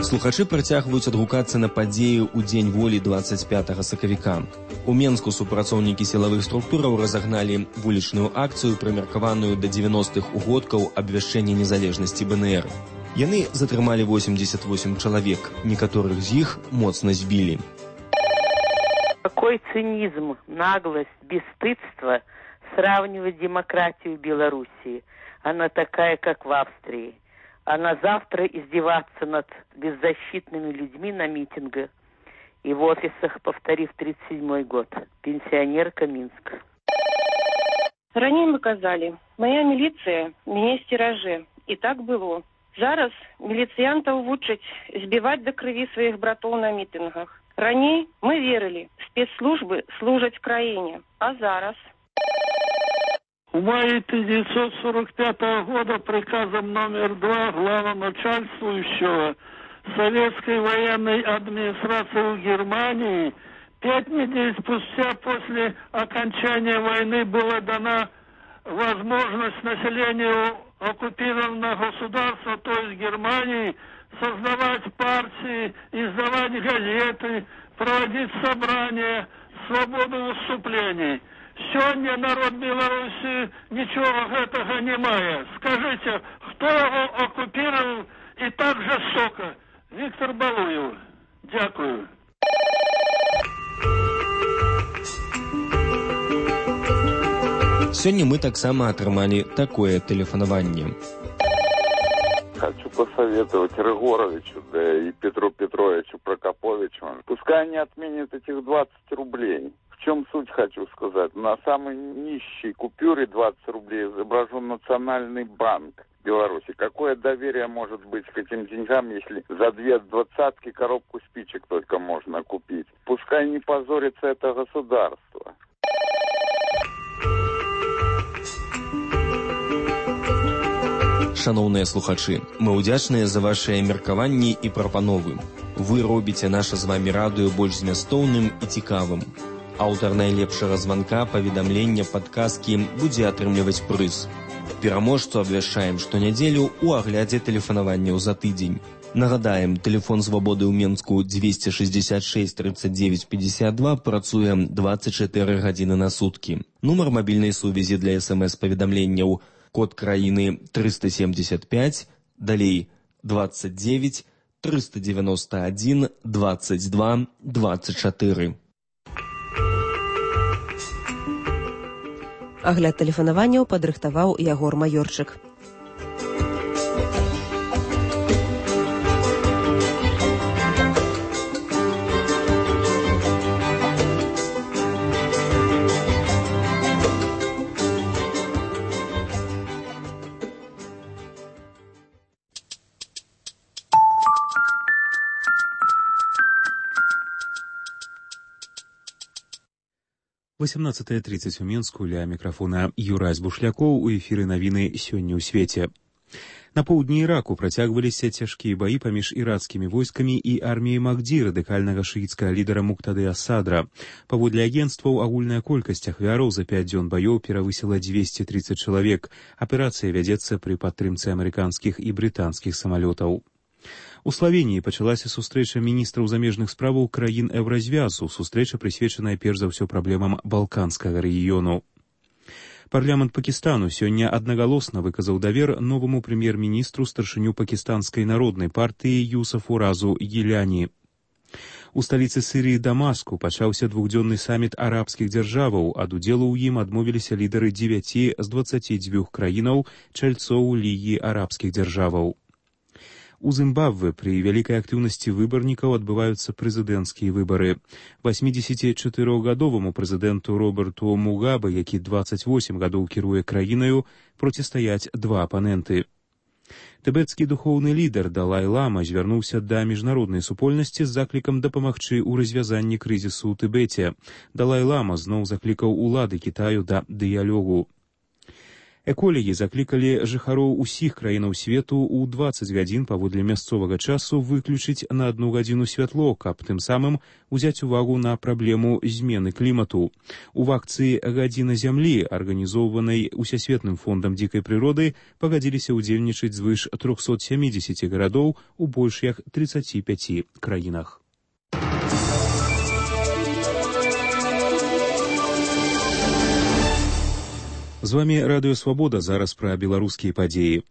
Слухачы працягваюць адгукацца на падзеі ў Дзень волі 25 сакавіка. У Менску супрацоўнікі сілавых структураў разагналі вулічную акцыю, прымеркаваную да 90-х угодкаў абвяшчэння незалежнасці БНР. Яны затрымалі 88 чалавек, некаторых з іх моцна збілі. Какой цинизм, наглость, бесстыдство сравнивать демократию Белоруссии. Она такая, как в Австрии. А на завтра издеваться над беззащитными людьми на митингах и в офисах, повторив 37-й год. Пенсионерка Минск. Ранее мы казали, моя милиция, меня стераже. И так было. Зараз милициянтов вучаць збивать до крови своих братов на митингах. Ранее мы верили, спецслужбы служат краине, а зараз? В мае 1945 года приказом номер 2 главноначальствующего Советской военной администрации в Германии 5 недель спустя после окончания войны была дана возможность населению оккупированного государства, то есть Германии, создавать партии, издавать газеты, проводить собрания, свободу выступлений. Сегодня народ Беларуси ничего этого не мае. Скажите, кто его оккупировал и так жестоко? Виктор Балуев. Дякую. Сёння мы таксама атрымалі такое тэлефанаванне. Хочу посоветовать Рыгоровичу, да и Петру Петровичу Прокоповичу. Пускай они отменят этих 20 рублей. В чем суть, хочу сказать? На самой нищей купюре 20 рублей изображен Национальный банк Беларуси. Какое доверие может быть к этим деньгам, если за 2 двадцатки коробку спичек только можно купить? Пускай не позорится это государство. Шановныя слухачы, мы ўдзячныя за вашыя меркаванні і прапановы. Вы робіце наша з вамі радыё больш змястоўным і цікавым. Аўтар найлепшага званка, паведамлення, падказкі будзе атрымліваць прыз. Пераможцу абвяшчаем штонядзелю ў аглядзе тэлефанаванняў за тыдзень. Нагадаем, тэлефон свабоды ў Менску 266 39 52 працуе 24 гадзіны на суткі. Нумар мабільнай сувязі для СМС-паведамленняў код краіны 375, далей 29 391 22 24. Агляд тэлефанаванняў падрыхтаваў Ягор Маёрчык. — 18:30 у Менску, ля мікрафона Юрась Бушлякоў, у эфіры навіны сёння ў свеце. На поўдні Іраку працягваліся цяжкія баі паміж ірацкімі войскамі і арміяй Махді, радыкальнага шыіцкага лідара Муктады Асадра. Паводле агенцтваў, агульная колькасць ахвяраў за 5 дзён баёў перавысіла 230 чалавек. Аперацыя вядзецца пры падтрымцы амерыканскіх і брытанскіх самалётаў. У Славеніі пачалася сустрэча міністраў замежных справаў краін Еўразвязу. Сустрэча прысвечаная перш за ўсё праблемам балканскага рэгіёну. Парламент Пакістану сёння аднагалосна выказаў давер новаму прэм'ер-міністру старшыню пакістанскай народнай партыі Юсафу Разу Гіляні. У сталіцы Сірыі Дамаску пачаўся двухдзённы саміт арабскіх дзяржаваў. Ад удзелу ў ім адмовіліся лідары 9 з 22 краінаў, чальцоў Лігі арабскіх дзяржаваў. У Зімбабве пры вялікай актыўнасці выбарнікаў адбываюцца прэзідэнцкія выбары. 84-гадоваму прэзідэнту Роберту Мугабе, які 28 гадоў кіруе краінаю, процістаяць два апаненты. Тыбецкі духоўны лідар Далай-Лама звярнуўся да міжнароднай супольнасці з заклікам дапамагчы ў развязанні крызісу ў Тыбеце. Далай-Лама зноў заклікаў улады Кітаю да дыялогу. Эколагі заклікалі жыхароў усіх краінаў свету ў 20 гадзін паводле мясцовага часу выключыць на 1 гадзіну святло, каб тым самым узяць увагу на праблему змены клімату. У акцыі «Гадзіна зямлі», арганізоўванай Усесветным фондам дзікай прыроды, пагадзіліся ўдзельнічаць звыш 370 гарадоў у больш як 35 краінах. З вамі Радыё Свабода, зараз пра беларускія падзеі.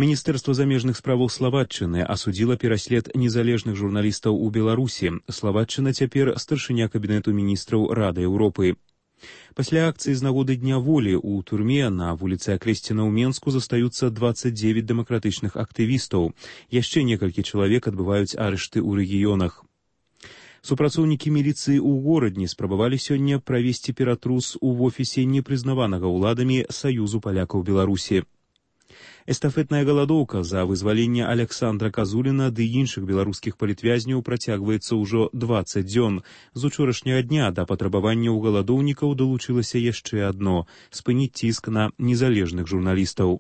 Міністэрства замежных справаў Славатчыны асудзіла пераслед незалежных журналістаў у Беларусі. Славатчына цяпер старшыня кабінету міністраў Рады Еўропы. Пасля акцыі з нагоды Дня волі ў турме на вуліцы Акрэсціна ў Менску застаюцца 29 дэмакратычных актывістаў. Яшчэ некалькі чалавек адбываюць арышты ў рэгіёнах. Супрацоўнікі міліцыі ў горадні спрабавалі сёння правесці ператрус у офісе непрызнаванага ўладамі Саюзу палякаў Беларусі. Эстафетная галадоўка за вызваленне Александра Казуліна ды іншых беларускіх палітвязняў працягваецца ўжо 20 дзён. З учорашняга дня да патрабаванняў галадоўнікаў далучылася яшчэ адно – спыніць ціск на незалежных журналістаў.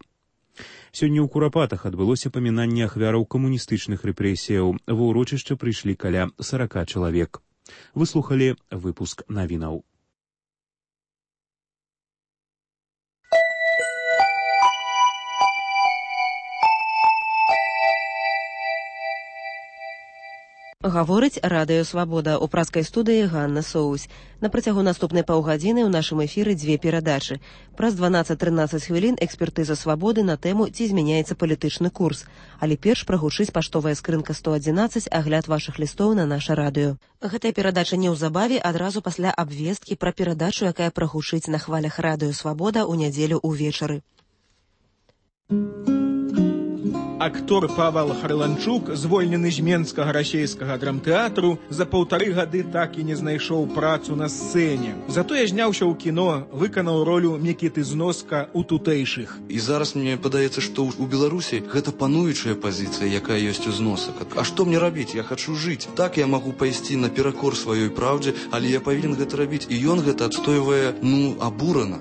Сёння ў Курапатах адбылося памінанне ахвяраў камуністычных рэпрэсіяў. Ва ўрочышча прыйшлі каля 40 чалавек. Вы слухалі выпуск навінаў. Гаворыць Радыё Свабода. У праскай студыі Ганна Соусь. На працягу наступнай паўгадзіны ў нашым эфіры дзве перадачы. Праз 12-13 хвілін экспертыза Свабоды на тэму «Ці змяняецца палітычны курс». Але перш прагучыць паштовая скрынка 111, агляд вашых лістоў на наша радыё. Гэтая перадача неўзабаве адразу пасля абвесткі пра перадачу, якая прагучыць на хвалях Радыё Свабода ў нядзелю ўвечары. Актор Павел Харланчук, звольнены з Менскага расейскага драмтэатру, за 1,5 гады так і не знайшоў працу на сцэне. Затое зняўся ў кіно, выканаў ролю Мікіты Зноска ў тутэйшых. І зараз мне падаецца, што ў Беларусі гэта пануючая пазіцыя, якая ёсць у Зносак. А што мне рабіць? Я хачу жыць. Так я магу пайсці наперакор сваёй праўдзе, але я павінен гэта рабіць. І ён гэта адстойвае, абурана.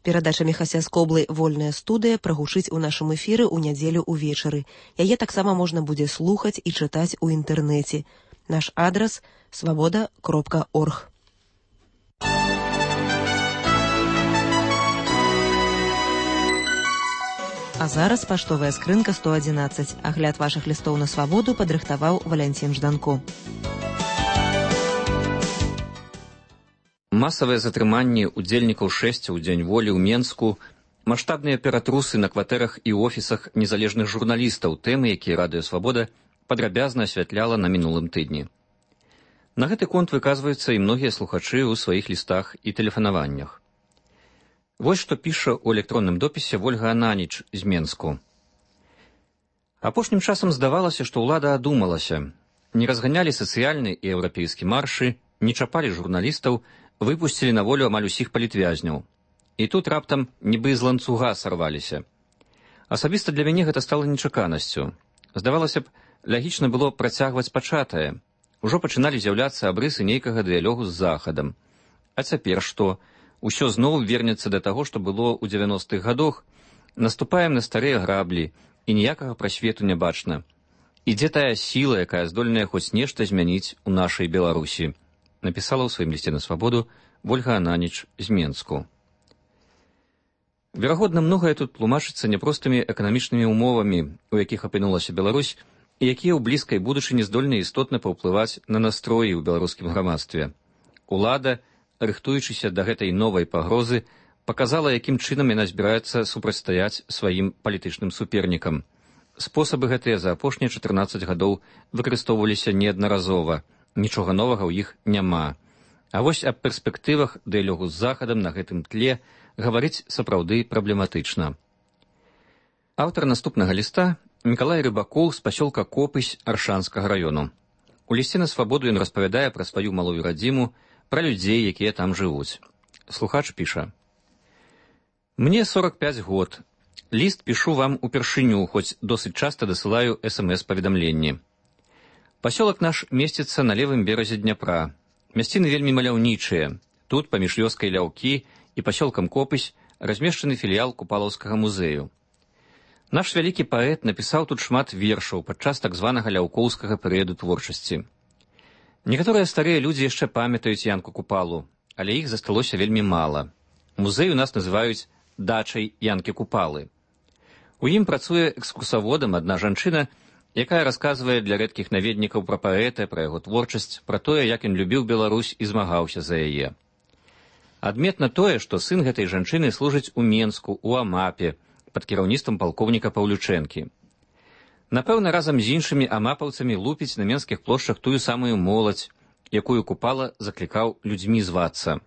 Перадача Міхася Скоблы «Вольная студыя» прагучыць у нашым эфіры ў нядзелю ўвечары. Яе таксама можна будзе слухаць і чытаць у інтэрнэце. Наш адрас – svoboda.org. А зараз паштовая скрынка 111. Агляд вашых лістоў на Свабоду падрыхтаваў Валянцін Жданко. Масавыя затрыманні ўдзельнікаў шэсця ў Дзень волі ў Менску, Маштабныя ператрусы на кватэрах і офісах незалежных журналістаў, тэмы, якія Радыё Свабода падрабязна асвятляла на мінулым тыдні. На гэты конт выказваюцца і многія слухачы ў сваіх лістах і тэлефанаваннях. Вось што піша ў электронным допісе Вольга Ананіч з Менску. Апошнім часам здавалася, што ўлада адумалася. Не разганялі сацыяльны і еўрапейскі маршы, не чапалі журналістаў, выпусцілі на волю амаль усіх палітвязняў. І тут раптам нібы з ланцуга сарваліся. Асабіста для мяне гэта стала нечаканасцю. Здавалася б, лагічна было працягваць пачатае. Ужо пачыналі з'яўляцца абрысы нейкага дыялогу з Захадам. А цяпер што? Усё зноў вернецца да таго, што было ў 90-х гадах. Наступаем на старыя граблі, і ніякага прасвету не бачна. І дзе тая сіла, якая здольная хоць нешта змяніць у нашай Беларусі? Напісала ў сваім лісце на Свабоду Вольга Ананіч з Менску. Верагодна, многае тут тлумачыцца няпростымі эканамічнымі ўмовамі, у якіх апынулася Беларусь, і якія ў блізкай будучыні здольны істотна паўплываць на настроі ў беларускім грамадстве. Улада, рыхтуючыся да гэтай новай пагрозы, паказала, якім чынам яна збіраецца супрацьстаяць сваім палітычным супернікам. Спосабы гэтыя за апошнія 14 гадоў выкарыстоўваліся неаднаразова. Нічога новага ў іх няма. А вось аб перспектывах дыялогу з Захадам на гэтым тле гаварыць сапраўды праблематычна. Аўтар наступнага ліста Мікалай Рыбакоў з пасёлка Копысь Аршанскага раёну. У лісце на Свабоду ён распавядае пра сваю малую радзіму, пра людзей, якія там жывуць. Слухач піша. Мне 45 год. Ліст пішу вам упершыню, хоць досыць часта дасылаю СМС-паведамленні. Пасёлак наш месціцца на левым беразе Дняпра. Мясціны вельмі маляўнічыя. Тут, паміж вёскай Ляўкі і пасёлкам Копысь, размешчаны філіял Купалаўскага музею. Наш вялікі паэт напісаў тут шмат вершаў падчас так званага ляўкоўскага перыяду творчасці. Некаторыя старыя людзі яшчэ памятаюць Янку Купалу, але іх засталося вельмі мала. Музей у нас называюць дачай Янкі Купалы. У ім працуе экскурсаводам адна жанчына, якая расказвае для рэдкіх наведнікаў пра паэта, пра яго творчасць, пра тое, як ён любіў Беларусь і змагаўся за яе. Адметна тое, што сын гэтай жанчыны служыць у Менску, у Амапе, пад кіраўніцтвам палкоўніка Паўлючэнкі. Напэўна, разам з іншымі амапаўцамі лупіць на менскіх плошчах тую самую моладзь, якую Купала заклікаў людзьмі звацца.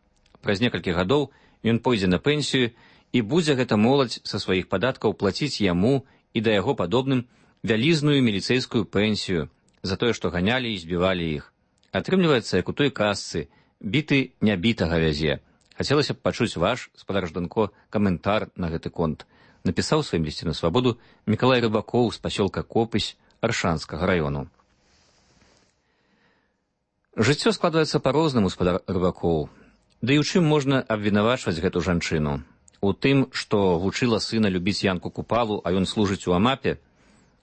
Праз некалькі гадоў ён пойдзе на пенсію, і будзе гэта моладзь са сваіх падаткаў плаціць яму і да яго падобным вялізную міліцэйскую пенсію за тое, што ганялі і збівалі іх. Атрымліваецца, як у той казцы, біты нябітага вязе. Хацелася б пачуць ваш, спадар Жданко, каментар на гэты конт. Напісаў сваім лісце на Свабоду Мікалай Рыбакоў з пасёлка Копысь Аршанскага раёну. Жыццё складваецца па-рознаму, спадар Рыбакоў. Ды і ў чым можна абвінавачваць гэту жанчыну? У тым, што вучыла сына любіць Янку Купалу, а ён служыць у Амапе?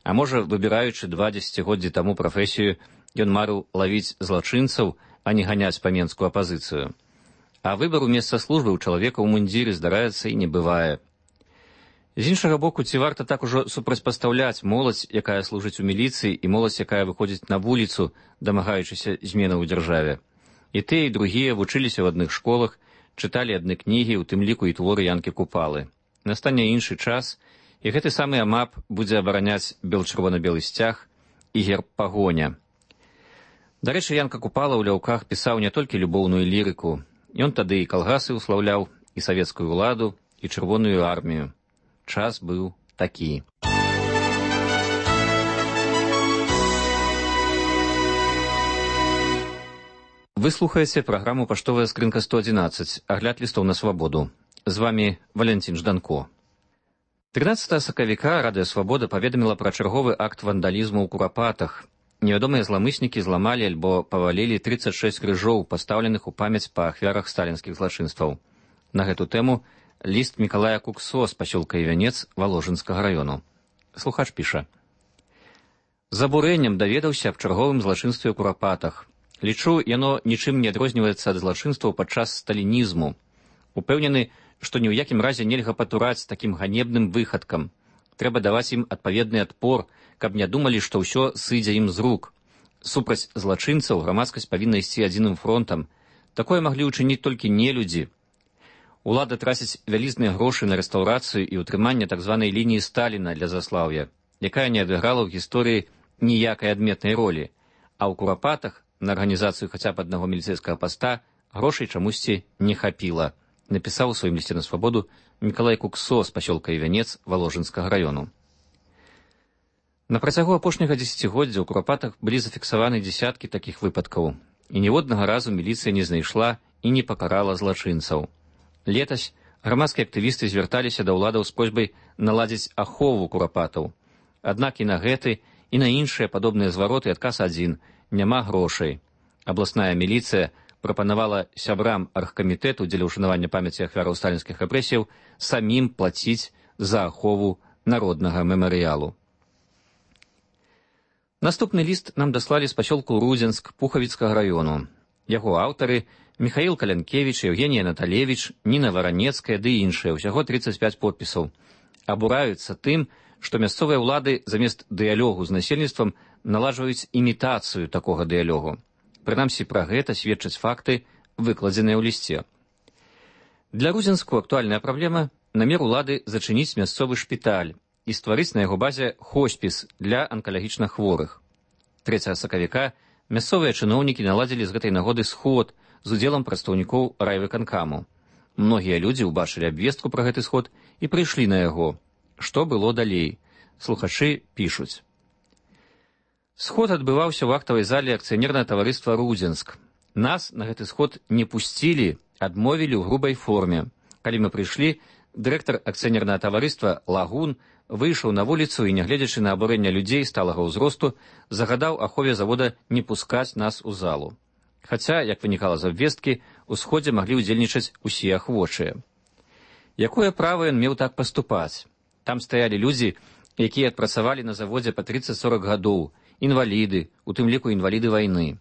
А можа, выбіраючы 2 дзесяцігоддзі таму прафесію, ён марыў лавіць злачынцаў, а не ганяць па менскую апазіцыю. А выбару месца службы ў чалавека ў мундзіры здараецца і не бывае. З іншага боку, ці варта так ужо супрацьпастаўляць моладзь, якая служыць у міліцыі, і моладзь, якая выходзіць на вуліцу, дамагаючыся зменаў у дзяржаве? І тыя, і другія вучыліся ў адных школах, чыталі адны кнігі, у тым ліку і творы Янкі Купалы. Настане іншы час, і гэты самы Амап будзе абараняць бел-чырвона-белы сцяг і герб пагоня. Дарэчы, Янка Купала ў Ляўках пісаў не толькі любоўную лірыку. Ён тады і калгасы ўслаўляў, і савецкую ўладу, і чырвоную армію. Час быў такі. Вы слухаеце праграму «Паштовая скрынка 111», агляд лістоў на Свабоду. З вамі Валянцін Жданко. 13 сакавіка Радыё Свабода паведаміла пра чарговы акт вандалізму ў Курапатах. Невядомыя зламыснікі зламалі альбо павалілі 36 крыжоў, пастаўленых у памяць па ахвярах сталінскіх злачынстваў. На гэту тэму ліст Мікалая Куксо з пасёлка Івянец Валожынскага раёну. Слухач піша. З абурэннем даведаўся аб чарговым злачынстве ў Курапатах. Лічу, яно нічым не адрозніваецца ад злачынстваў падчас сталінізму. Упэўнены, што ні ў якім разе нельга патураць такім ганебным выхадкам. Трэба даваць ім адпаведны адпор, каб не думалі, што ўсё сыдзе ім з рук. Супраць злачынцаў грамадскасць павінна ісці адзіным фронтам. Такое маглі ўчыніць толькі нелюдзі. Улада траціць вялізныя грошы на рэстаўрацыю і ўтрыманне так званай лініі Сталіна для Заслаўя, якая не адыграла ў гісторыі ніякай адметнай ролі, а ў Курапатах на арганізацыю хаця б аднаго міліцэйскага паста грошай чамусьці не хапіла, напісаў у сваім лісце на свабоду Мікалай Куксо з пасёлка Івянец Валожынскага раёну. На працягу апошняга дзесяцігоддзя ў Курапатах былі зафіксаваны дзесяткі такіх выпадкаў, і ніводнага разу міліцыя не знайшла і не пакарала злачынцаў. Летась грамадскія актывісты звярталіся да ўладаў з просьбай наладзіць ахову Курапатаў. Аднак і на гэты, і на іншыя падобныя звароты адказ адзін – няма грошай. Абласная міліцыя прапанавала сябрам аргкамітэту дзеля ўшанавання памяці ахвяраў сталінскіх рэпрэсіяў самім плаціць за ахову народнага мемарыялу. Наступны ліст нам даслалі з пасёлку Рудзенск Пухавіцкага раёну. Яго аўтары Міхаіл Калянкевіч, Евгенія Наталевіч, Ніна Варанецкая ды іншыя, усяго 35 подпісаў. Абураюцца тым, што мясцовыя ўлады замест дыялогу з насельніцтвам наладжваюць імітацыю такога дыялогу. Прынамсі, пра гэта сведчаць факты, выкладзеныя ў лісце. Для Рудзенску актуальная праблема – намер улады зачыніць мясцовы шпіталь і стварыць на яго базе хоспіс для анкалагічна хворых. 3 сакавіка мясцовыя чыноўнікі наладзілі з гэтай нагоды сход з удзелам прадстаўнікоў райвыканкаму. Многія людзі ўбачылі абвестку пра гэты сход і прыйшлі на яго. Што было далей? Слухачы пішуць. Сход адбываўся ў актавай зале акцыянернага таварыства «Рудзенск». Нас на гэты сход не пусцілі, адмовілі ў грубай форме. Калі мы прыйшлі, дырэктар акцыянернага таварыства «Лагун» выйшаў на вуліцу і, нягледзячы на абурэнне людзей сталага ўзросту, загадаў ахове завода не пускаць нас у залу. Хаця, як вынікала з абвесткі, у сходзе маглі ўдзельнічаць усе ахвочыя. Якое права ён меў так паступаць? Там стаялі людзі, якія адпрацавалі на заводзе па 30-40 гадоў, інваліды, у тым ліку інваліды вайны.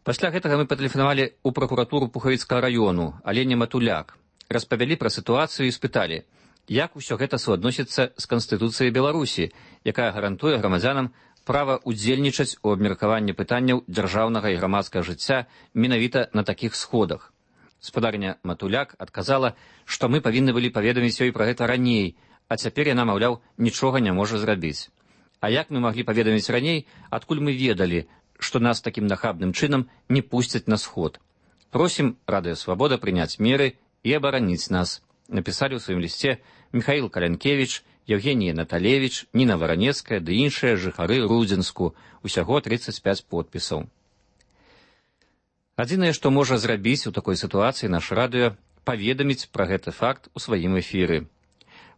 Пасля гэтага мы патэлефанавалі ў пракуратуру Пухавіцкага раёну, але не Матуляк. Распавялі пра сітуацыю і спыталі, як усё гэта суадносіцца з Канстытуцыяй Беларусі, якая гарантуе грамадзянам права ўдзельнічаць у абмеркаванні пытанняў дзяржаўнага і грамадскага жыцця менавіта на такіх сходах. Спадарня Матуляк адказала, што мы павінны былі паведаміць ёй пра гэта раней, а цяпер яна, маўляў, нічога не можа зрабіць. А як мы маглі паведаміць раней, адкуль мы ведалі, што нас такім нахабным чынам не пусцяць на сход? Просім Радыё Свабода прыняць меры і абараніць нас, напісалі ў сваім лісце Міхаіл Калянкевіч, Евгенія Наталевіч, Ніна Варанецкая ды іншыя жыхары Рудзенску, усяго 35 подпісаў. Адзінае, што можа зрабіць у такой сітуацыі наш радыё, паведаміць пра гэты факт у сваім эфіры.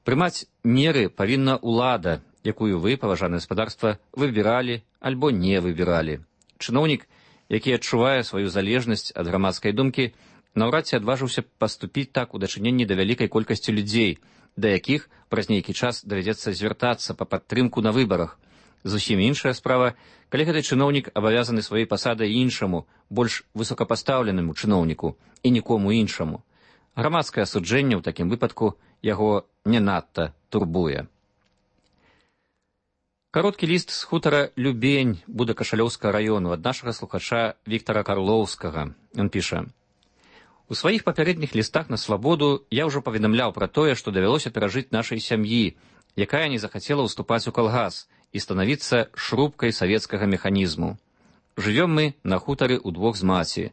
Прымаць меры павінна ўлада, якую вы, паважанае гаспадарства, выбіралі альбо не выбіралі. Чыноўнік, які адчувае сваю залежнасць ад грамадскай думкі, наўрад ці адважыўся паступіць так у дачыненні да вялікай колькасці людзей, да якіх праз нейкі час давядзецца звяртацца па падтрымку на выбарах. Зусім іншая справа, калі гэты чыноўнік абавязаны сваёй пасадай іншаму, больш высокапастаўленаму чыноўніку і нікому іншаму. Грамадскае асуджэнне ў такім выпадку яго не надта турбуе. Кароткі ліст з хутара Любень Будакашалёўскага раёну ад нашага слухача Віктара Карлоўскага. Ён піша: «У сваіх папярэдніх лістах на свабоду я ўжо паведамляў пра тое, што давялося перажыць нашай сям'і, якая не захацела ўступаць у калгас і станавіцца шрубкай савецкага механізму. Жывём мы на хутары ўдвох з маці.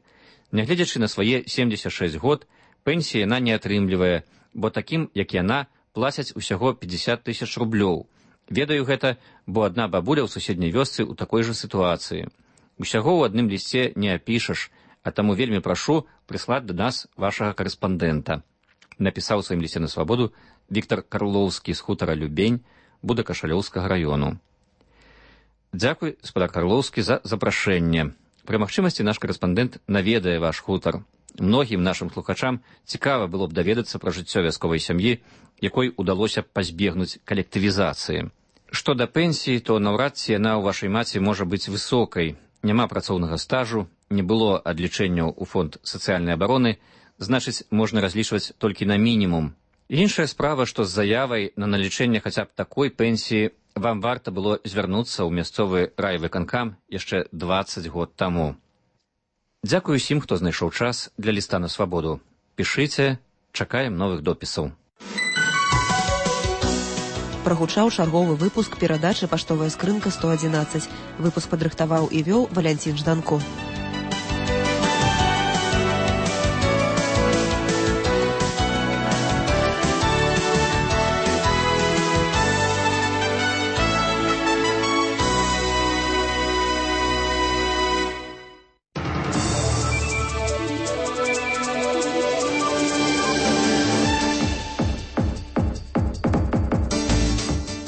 Нягледзячы на свае 76 год, пенсія яна не атрымлівае, бо такім, як яна, плацяць усяго 50 000 рублёў. Ведаю гэта, бо адна бабуля ў суседняй вёсцы ў такой жа сітуацыі. Усяго ў адным лісце не апішаш, а таму вельмі прашу прыслаць да нас вашага карэспандэнта», напісаў у сваім лісце на свабоду Віктар Карлоўскі з хутара Любень Будакашалёўскага раёну. Дзякуй, гаспадар Карлоўскі, за запрашэнне. Пры магчымасці наш карэспандэнт наведае ваш хутар. Многім нашым слухачам цікава было б даведацца пра жыццё вясковай сям'і, якой удалося пазбегнуць калектывізацыі. Што да пенсіі, то наўрад ці яна ў вашай маці можа быць высокай. Няма працоўнага стажу, не было адлічэнняў у фонд сацыяльнай абароны, значыць, можна разлічваць толькі на мінімум. Іншая справа, што з заявай на налічэнне хаця б такой пенсіі вам варта было звярнуцца ў мясцовы райвыканкам яшчэ 20 год таму. Дзякую усім, хто знайшоў час для ліста на свабоду. Пішыце, Чакаем новых допісаў. Прагучаў чарговы выпуск перадачы «Паштовая скрынка 111». Выпуск падрыхтаваў і вёў Валянцін Жданко.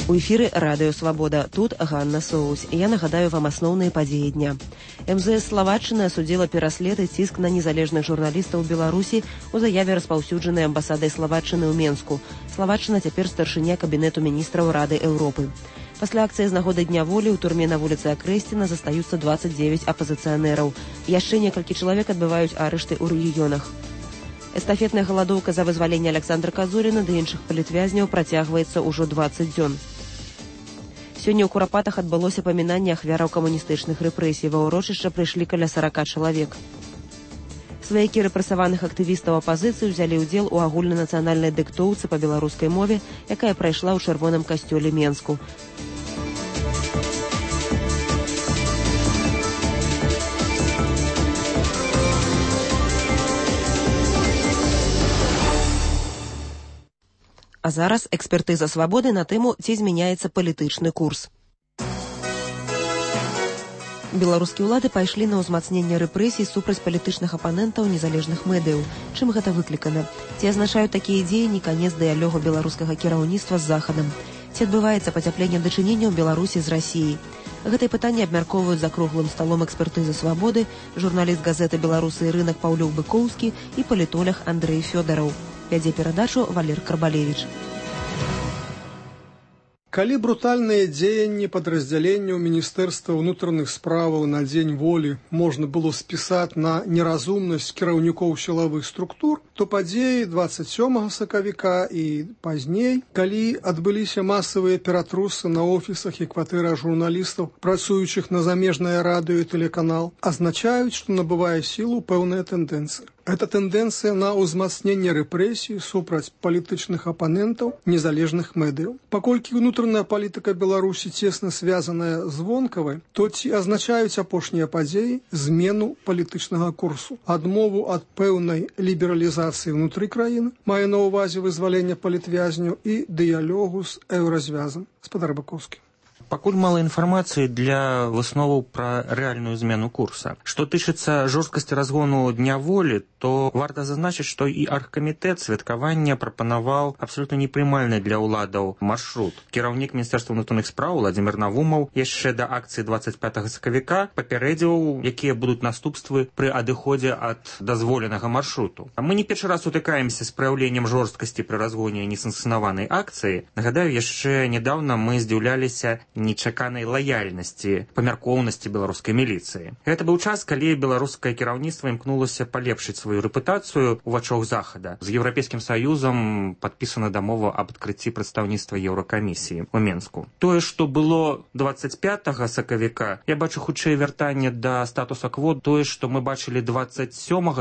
У эфіры радыё «Свабода». Тут Ганна Соус. Я нагадаю вам асноўныя падзеі дня. МЗС Славатчыны асудзіла пераслед і ціск на незалежных журналістаў Беларусі у заяве, распаўсюджанай амбасадай Славатчыны ў Менску. Славатчына цяпер старшыня кабінету міністраў Рады Еўропы. Пасля акцыі з нагоды Дня волі ў турме на вуліцы Акрэсціна застаюцца 29 апазіцыянераў. Яшчэ некалькі чалавек адбываюць арышты ў рэгіёнах. Эстафетная галадоўка за вызваленне Аляксандра Казуріна ды іншых палітвязняў працягваецца ўжо 20 дзён. Сёння ў Курапатах адбылося памінанне ахвяраў камуністычных рэпрэсій. Ва ўрочышча прыйшлі каля 40 чалавек. Сваякі рэпрэсаваных актывістаў апазіцыі ўзялі ўдзел у агульнанацыянальнай дыктоўцы па беларускай мове, якая прайшла ў чырвоным касцёле Менску. А зараз экспертыза «Свабоды» на тэму, ці змяняецца палітычны курс. Беларускія ўлады пайшлі на ўзмацненне рэпрэсій супраць палітычных апанентаў незалежных медыяў. Чым гэта выклікана? Ці азначаюць такія дзеянні канец дыялогу беларускага кіраўніцтва з Захадам? Ці адбываецца пацяпленне дачыненняў Беларусі з Расіяй? Гэтае пытанне абмяркоўваюць за круглым сталом экспертызы «Свабоды» журналіст газеты «Беларусы і рынак» Паўлюк Быкоўскі і палітолог Андрэй Фёдараў. Вядзе перадачу Валер Карбалевіч. Калі брутальныя дзеянні падраздзяленняў Міністэрства ўнутраных справаў на дзень волі можна было спісаць на неразумнасць кіраўнікоў сілавых структур, то падзеі 27 сакавіка і пазней, калі адбыліся масавыя ператрусы на офісах і кватэрах журналістаў, працуючых на замежнае радыё і тэлеканал, азначаюць, што набывае сілу пэўная тэндэнцыя. Гэта тэндэнцыя на ўзмацненне рэпрэсій супраць палітычных апанентаў незалежных медыяў. Паколькі ўнутраная палітыка Беларусі цесна звязаная з вонкавай, то ці азначаюць апошнія падзеі змену палітычнага курсу, адмову ад пэўнай лібералізацыі ўнутры краіны, мае на ўвазе вызваленне палітвязняў і дыялогу з еўразвязам. Спадар Бакоўскі. Пакуль мала інфармацыі для высноваў пра рэальную змену курса. Што тычыцца жорсткасці разгону Дня волі, то варта зазначыць, што і аргкамітэт святкавання прапанаваў абсалютна непрымальны для ўладаў маршрут. Кіраўнік Міністэрства ўнутраных спраў Владзімір Навумаў яшчэ да акцыі 25 сакавіка папярэдзіў, якія будуць наступствы пры адыходзе ад дазволенага маршруту. Мы не першы раз утыкаемся з праяўленнем жорсткасці пры разгоне несанкцыянаванай акцыі. Нагадаю, яшчэ нядаўна мы здзіўляліся нечаканай лаяльнасці, памяркоўнасці беларускай міліцыі. Гэта быў час, калі беларускае кіраўніцтва імкнулася палепшыць сваю рэпутацыю ў вачах Захада. З Еўрапейскім Саюзам падпісана дамова аб адкрыцці прадстаўніцтва Еўракамісіі ў Менску. Тое, што было 25 сакавіка, я бачу хутчэй вяртанне да статуса-кво, тое, што мы бачылі 27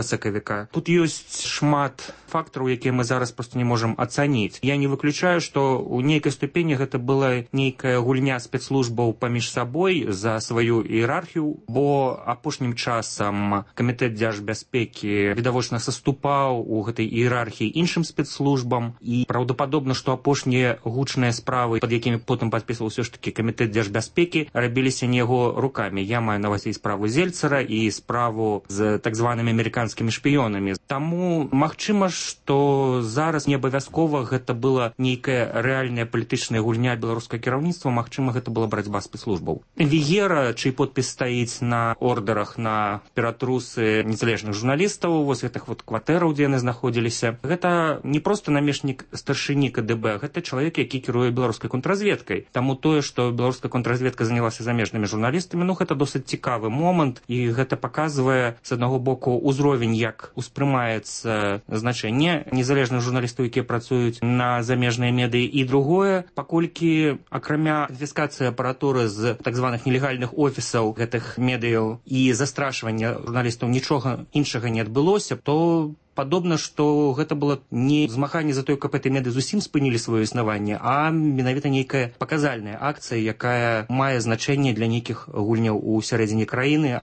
сакавіка. Тут ёсць шмат фактараў, якія мы зараз проста не можам ацаніць. Я не выключаю, што ў нейкай ступені гэта была нейкая гульня спецслужбаў паміж сабой за сваю іерархію, бо апошнім часам камітэт дзяржбяспекі відавочна саступаў у гэтай іерархіі іншым спецслужбам, і праўдападобна, што апошнія гучныя справы, пад якімі потым падпісваў ўсё ж такі камітэт дзяржбяспекі, рабіліся не яго рукамі. Я маю на ўвазе і справу Зельцара, і справу з так званымі амерыканскімі шпіёнамі. Таму магчыма, што зараз не абавязкова гэта была нейкая рэальная палітычная гульня беларускага кіраўніцтва, магчыма, гэта была барацьба спецслужбаў. Вігера, чый подпіс стаіць на ордерах на ператрусы незалежных журналістаў, вось гэтых вот кватэраў, дзе яны знаходзіліся, гэта не проста намешнік старшыні КДБ, гэта чалавек, які кіруе беларускай контрразведкай. Таму тое, што беларуская контрразведка занялася замежнымі журналістамі, гэта досыць цікавы момант, і гэта паказвае, з аднаго боку, узровень, як успрымаецца значэнне незалежных журналістаў, якія працуюць на замежныя медыі, і другое, паколькі акрамя канфіскацыі апаратуры з так званых нелегальных офісаў гэтых медыяў і застрашвання журналістаў нічога іншага не адбылося, то Падобна, што гэта было не змаганне за тое, каб гэты меды зусім спынілі сваё існаванне, а менавіта нейкая паказальная акцыя, якая мае значэнне для нейкіх гульняў у сярэдзіне краіны.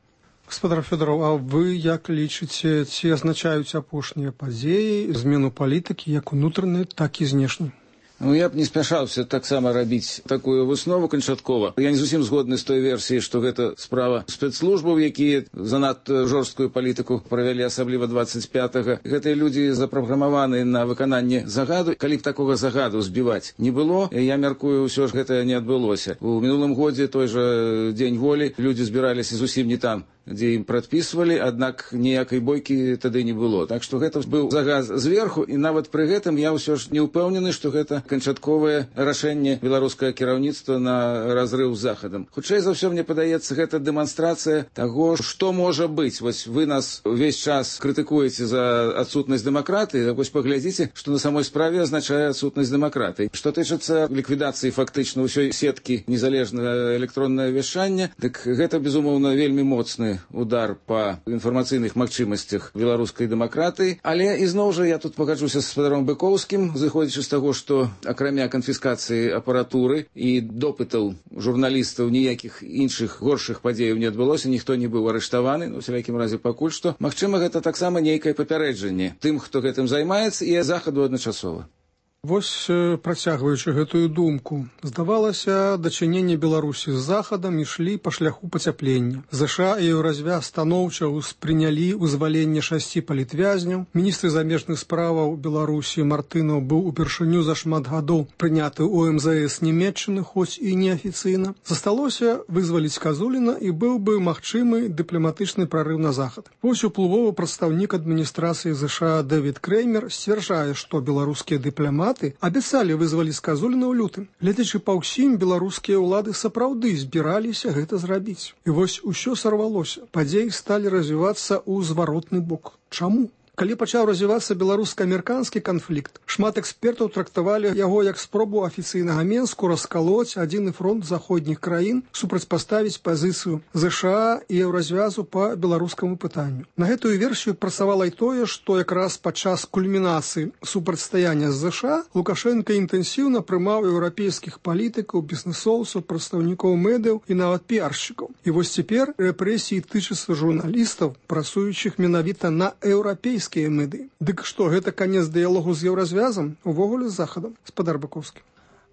Гаспадар Фёдораў, а вы як лічыце, ці азначаюць апошнія падзеі змену палітыкі як унутранай, так і знешняй? Ну, я б не спяшаўся таксама рабіць такую выснову канчаткова. Я не зусім згодны з той версіяй, што гэта справа спецслужбаў, якія занадта жорсткую палітыку правялі, асабліва 25-га. Гэтыя людзі запраграмаваны на выкананне загаду. Калі б такога загаду збіваць не было, я мяркую, ўсё ж гэта не адбылося. У мінулым годзе той жа дзень волі людзі збіраліся зусім не там, дзе ім прадпісвалі, аднак ніякай бойкі тады не было. Так што гэта быў загад зверху, і нават пры гэтым я ўсё ж не ўпэўнены, што гэта канчатковае рашэнне беларускага кіраўніцтва на разрыў з захадам. Хутчэй за ўсё, мне падаецца, гэта дэманстрацыя таго, што можа быць. Вось вы нас увесь час крытыкуеце за адсутнасць дэмакратыі, так вось паглядзіце, што на самой справе азначае адсутнасць дэмакратыі. Што тычыцца ліквідацыі фактычна ўсёй сеткі незалежнага электроннае вяшчання, дык гэта, безумоўна, вельмі моцны удар па інфармацыйных магчымасцях беларускай дэмакратыі. Але ізноў жа я тут пагаджуся з гаспадаром Быкоўскім, зыходзячы з таго, што акрамя канфіскацыі апаратуры і допытаў журналістаў ніякіх іншых горшых падзеяў не адбылося, ніхто не быў арыштаваны, у всякім разе пакуль што. Магчыма, гэта таксама нейкае папярэджанне тым, хто гэтым займаецца, і захаду адначасова. Вось, працягваючы гэтую думку, здавалася, дачыненне Беларусі з захадам ішлі па шляху пацяплення. ЗША і Еўразвяз станоўча ўспрынялі вызваленне 6 палітвязняў. Міністр замежных справаў Беларусі Мартынаў быў упершыню за шмат гадоў прыняты ў МЗС Нямецчыны, хоць і неафіцыйна. Засталося вызваліць Казуліна, і быў бы магчымы дыпламатычны прарыў на захад. Вось уплывовы прадстаўнік адміністрацыі ЗША Дэвід Креймер сцвярджае, што беларускія дыпламаты абяцалі вызваліць Казуліна ў лютым. Гледзячы па ўсім, беларускія ўлады сапраўды збіраліся гэта зрабіць. І вось усё сарвалося. Падзеі сталі развівацца ў зваротны бок. Чаму? Калі пачаў развівацца беларуска-амерыканскі канфлікт, шмат экспертаў трактавалі яго як спробу афіцыйнага Менску раскалоць адзіны фронт заходніх краін, супрацьпаставіць пазіцыю ЗША і Еўразвязу па беларускаму пытанню. На гэтую версію працавала і тое, што якраз падчас кульмінацыі супрацьстаяння з ЗША Лукашенка інтэнсіўна прымаў еўрапейскіх палітыкаў, бізнесоўцаў, прадстаўнікоў медыяў і нават піаршчыкаў. І вось цяпер рэпрэсіі тычацца журналістаў, працуючых менавіта на еўрапейскіх меды. Дык што, гэта канец дыялогу з Еўразвязам, увогуле з захадам? Гаспадар Быкоўскі.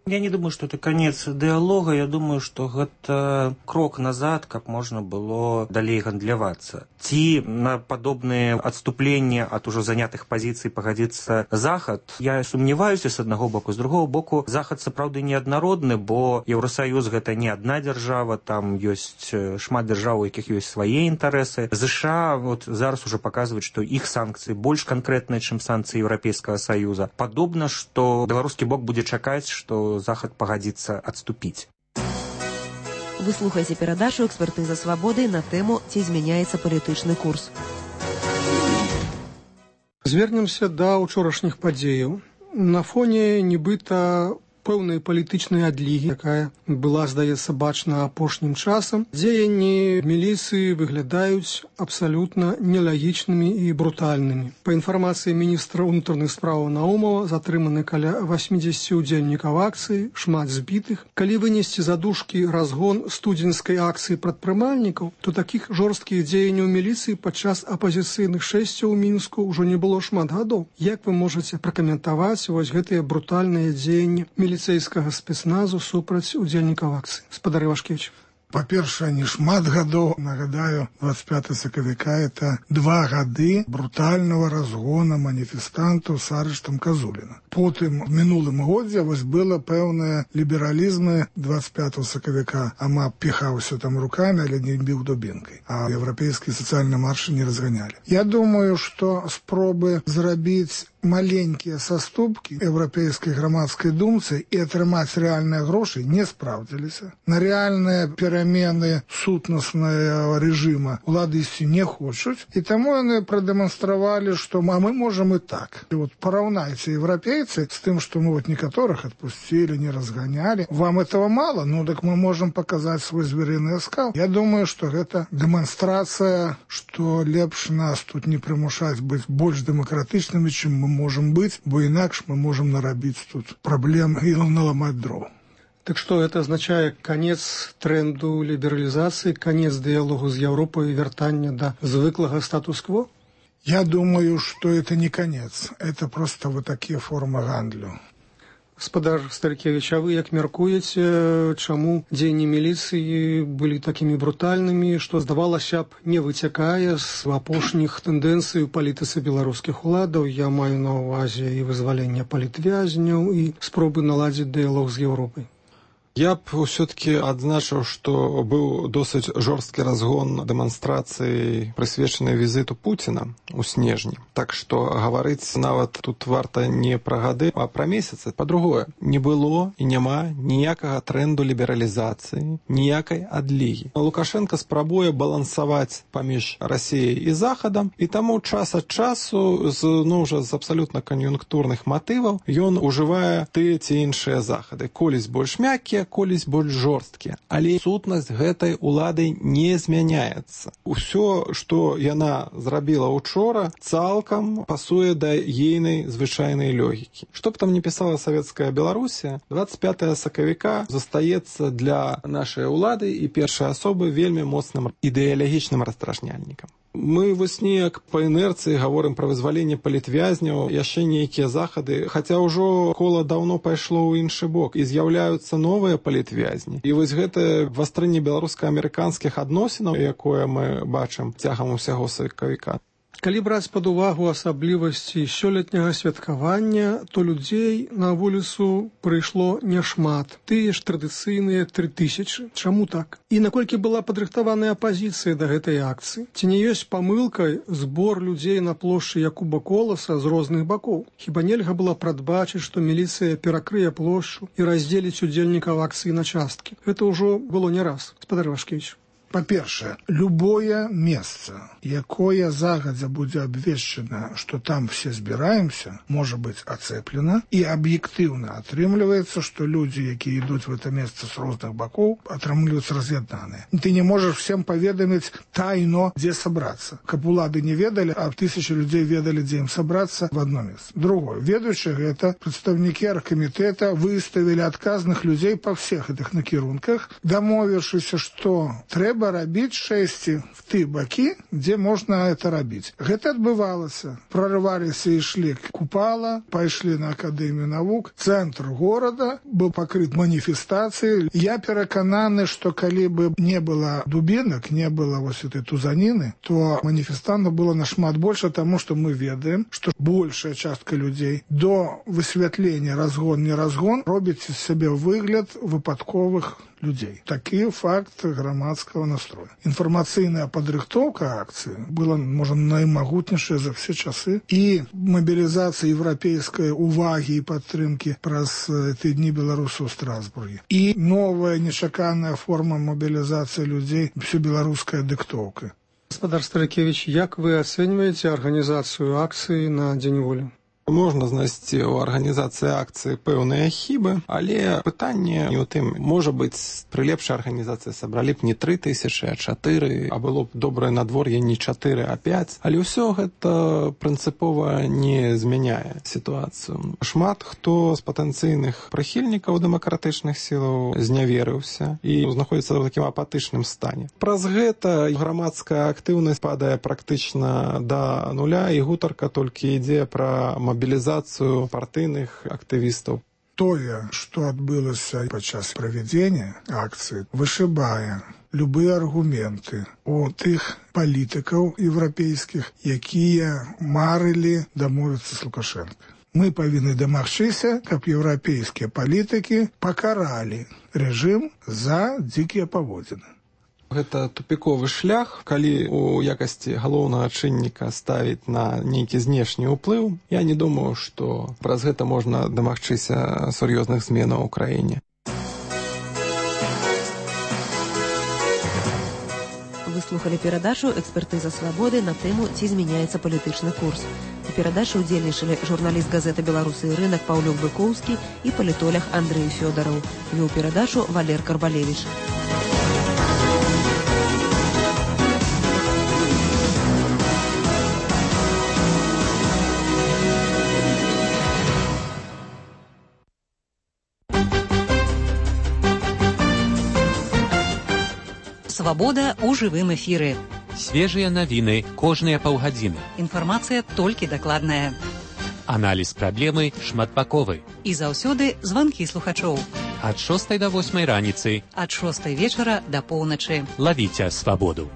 Я не думаю, что это конец диалога. Я думаю, что это крок назад, как можно было далей гандлявацца. Ці на подобные отступления от уже занятых позиций погодится Захад. Я сумневаюся с одного боку. С другого боку, Захад сапраўды неаднародны, бо Еўросоюз гэта не одна держава, там есть шмат держав, у якіх есть свои интересы. США вот зараз уже показывают, что их санкции больше конкретные, чем санкции Европейского Союза. Подобно, что белорусский бок будет чакаць, что Захад пагадзіцца адступіць. Вы слухаеце перадачу «Экспертыза свабоды» на тэму «Ці змяняецца палітычны курс». Звернемся да ўчорашніх падзеяў. На фоне нібыта пэўнай палітычнай адлігі, якая была, здаецца, бачна апошнім часам, дзеянні міліцыі выглядаюць абсалютна нелагічнымі і брутальнымі. Па інфармацыі міністра ўнутраных справаў Наумова, затрыманы каля 80 удзельнікаў акцыі, шмат збітых. Калі вынесці за дужкі разгон студзеньскай акцыі прадпрымальнікаў, то такіх жорсткіх дзеянняў міліцыі падчас апазіцыйных шэсцяў у Мінску ўжо не было шмат гадоў. Як вы можаце пракаментаваць вось гэтыя брутальныя дзеянні міліцэйскага спецназу супраць удзельнікаў акцыі? Гаспадар Івашкевіч. Па-першае, не шмат гадоў, нагадаю, 25 сакавіка – это 2 гады брутального разгона маніфестантаў з арыштам Казуліна. Потым, в мінулым годзе, вось было пэўнае лібералізмы 25 сакавіка. Ама піхаўся там руками, але не біў дубінкай. А еўрапейскія сацыяльныя маршы не разганялі. Я думаю, што спробы зрабіць маленькія саступкі еўрапейскай грамадскай думцы і атрымаць рэальныя грошы не спраўдзіліся. На рэальныя перамены сутнаснага рэжыма улады ісці не хочуць, і таму яны прадэманстравалі, што мы можам і так. І вот параўнайце еўрапейцы з тым, што мы вот некаторых адпусцілі, не разганялі. Вам этого мало? Ну, так мы можам паказаць свой зверыны аскал. Я думаю, што гэта дэманстрацыя, што лепш нас тут не прымушаць быць больш дэмакратычнымі, чым мы можем быть, бо інакш мы можем нарабіць тут праблем і наламаць дров. Так что это означает конец тренду либерализации, конец диалогу с Европой и вертание до звыклого статус-кво? Я думаю, что это не конец. Это просто вот такие формы гандлю. Гаспадар Старыкевич, а вы як мяркуеце, чаму дзеянні міліцыі былі такімі брутальнымі, што, здавалася б, не выцякае з апошніх тэндэнцый у палітыцы беларускіх уладаў? Я маю на ўвазе і вызвалення палітвязняў, і спробы наладзіць дыялог з Еўропай. Я б ўсё-таки адзначыў, што быў досыць жорсткі разгон дэманстрацыі, прысвечанай візіту Пуціна ў снежні. Так што гаварыць нават тут варта не пра гады, а пра месяцы. Па-другое, не было і няма ніякага трэнду лібералізацыі, ніякай адлігі. Лукашенко спрабуе балансаваць паміж Расіяй і Захадам, і таму час ад часу з абсалютна кан'юнктурных матываў ён ужывае тыя ці іншыя захады. Колісь больш мяккія, колісь больш жорсткія. Але сутнасць гэтай улады не змяняецца. Усё, што яна зрабіла учора, цалкам пасуе да ейнай звычайнай логікі. Што б там не пісала савецкая Беларусія, 25 сакавіка застаецца для нашай улады і першай асобы вельмі моцным ідэалагічным раздражняльнікам. Мы вось неяк па інерцыі гаворым пра вызваленне палітвязняў, яшчэ нейкія захады, хаця ўжо кола даўно пайшло ў іншы бок, і з'яўляюцца новыя палітвязні. І вось гэтае вастрынне беларуска-амерыканскіх адносінаў, якое мы бачым цягам усяго сакавіка. Калі браць пад увагу асаблівасці сёлетняга святкавання, то людзей на вуліцу прыйшло няшмат. Тыя ж традыцыйныя 3000. Чаму так? І наколькі была падрыхтаваная апазіцыя да гэтай акцыі? Ці не ёсць памылкай збор людзей на плошчы Якуба Коласа з розных бакоў? Хіба нельга было прадбачыць, што міліцыя перакрые плошчу і раздзеліць удзельнікаў акцыі на часткі? Гэта ўжо было не раз, гаспадар Вашкевіч. Па-першае, любое месца, якое загадзя будзе абвешчана, што там все збіраемся, можа быць ацэплена, і аб'ектыўна атрымліваецца, што людзі, якія ідуць в это месца з розных бакоў, атрымліваюць раз'яднаныя. Ты не можаш всем паведаміць тайно, дзе сабрацца. Каб улады не ведалі, а 1000 людзей ведалі, дзе ім сабрацца в одно месца. Другое, ведаючы гэта, прадстаўнікі аргкамітэта выставілі адказных людзей па всех гэтых накірунках, дамовіўшыся, што трэба рабіць шэсці в ты бакі, дзе можна это рабіць. Гэта адбывалася. Прорываліся і ішлі Купала, пайшлі на Акадэмію навук, цэнтр горада быў пакрыт маніфестацыяй. Я перакананы, што калі бы не было дубінак, не было вось этой тузаніны, то маніфестантаў было нашмат больш, таму што мы ведаем, што большая частка людзей до высвятлення разгон, не разгон робіць з сябе выгляд выпадковых людей. Такі факт грамадскага настроя. Інфармацыйная падрыхтоўка акцыі была, можа, наймагутнейшая за все часы, і мабілізацыя еўрапейскай увагі і падтрымкі праз ты дні беларусаў у Страсбургі. І новая нечаканая форма мабілізацыі людзей, всебеларуская дыктоўка. Гаспадар Старыкевич, як вы ацэньваеце арганізацыю акцыі на Дзень волі? Можна знайсці ў арганізацыі акцыі пэўныя хібы, але пытанне не ў тым. Можа быць, пры лепшай арганізацыі сабралі б не 3000, а 4, а было б добрае надвор'е не 4, а 5. Але ўсё гэта прынцыпова не змяняе сітуацыю. Шмат хто з патэнцыйных прыхільнікаў дэмакратычных сілаў зняверыўся і знаходзіцца ў такім апатычным стане. Праз гэта грамадская актыўнасць падае практычна да нуля, і гутарка толькі ідзе пра мобілізацыю партыйных актывістаў. Тое, што адбылася падчас правядзення акцыі, вышыбае любыя аргументы у тых палітыкаў еўрапейскіх, якія марылі дамовіцца з Лукашенко. Мы павінны дамагчыся, каб еўрапейскія палітыкі пакаралі рэжым за дзікія паводзіны. Гэта тупіковы шлях, калі у якасці галоўнага чынніка ставіць на нейкі знешні ўплыў. Я не думаю, што праз гэта можна дамагчыся сур'ёзных зменаў у краіне. Вы слухали перадачу «Экспертыза свабоды» на тэму «Ці змяняецца палітычны курс». У перадачы ўдзельнічалі журналіст газеты «Беларусы і рынак» Паўлюк Быкоўскі і палітолог Андрэй Фёдараў. Вёў перадачу Валер Карбалевіч. Свабода ў жывым эфіры. Свежыя навіны кожныя паўгадзіны. Інфармацыя толькі дакладная. Аналіз праблемы шматбаковы. І заўсёды званкі слухачоў. Ад 6 до 8 раніцы. Ад 6 вечара да поўначы. Лавіце свабоду.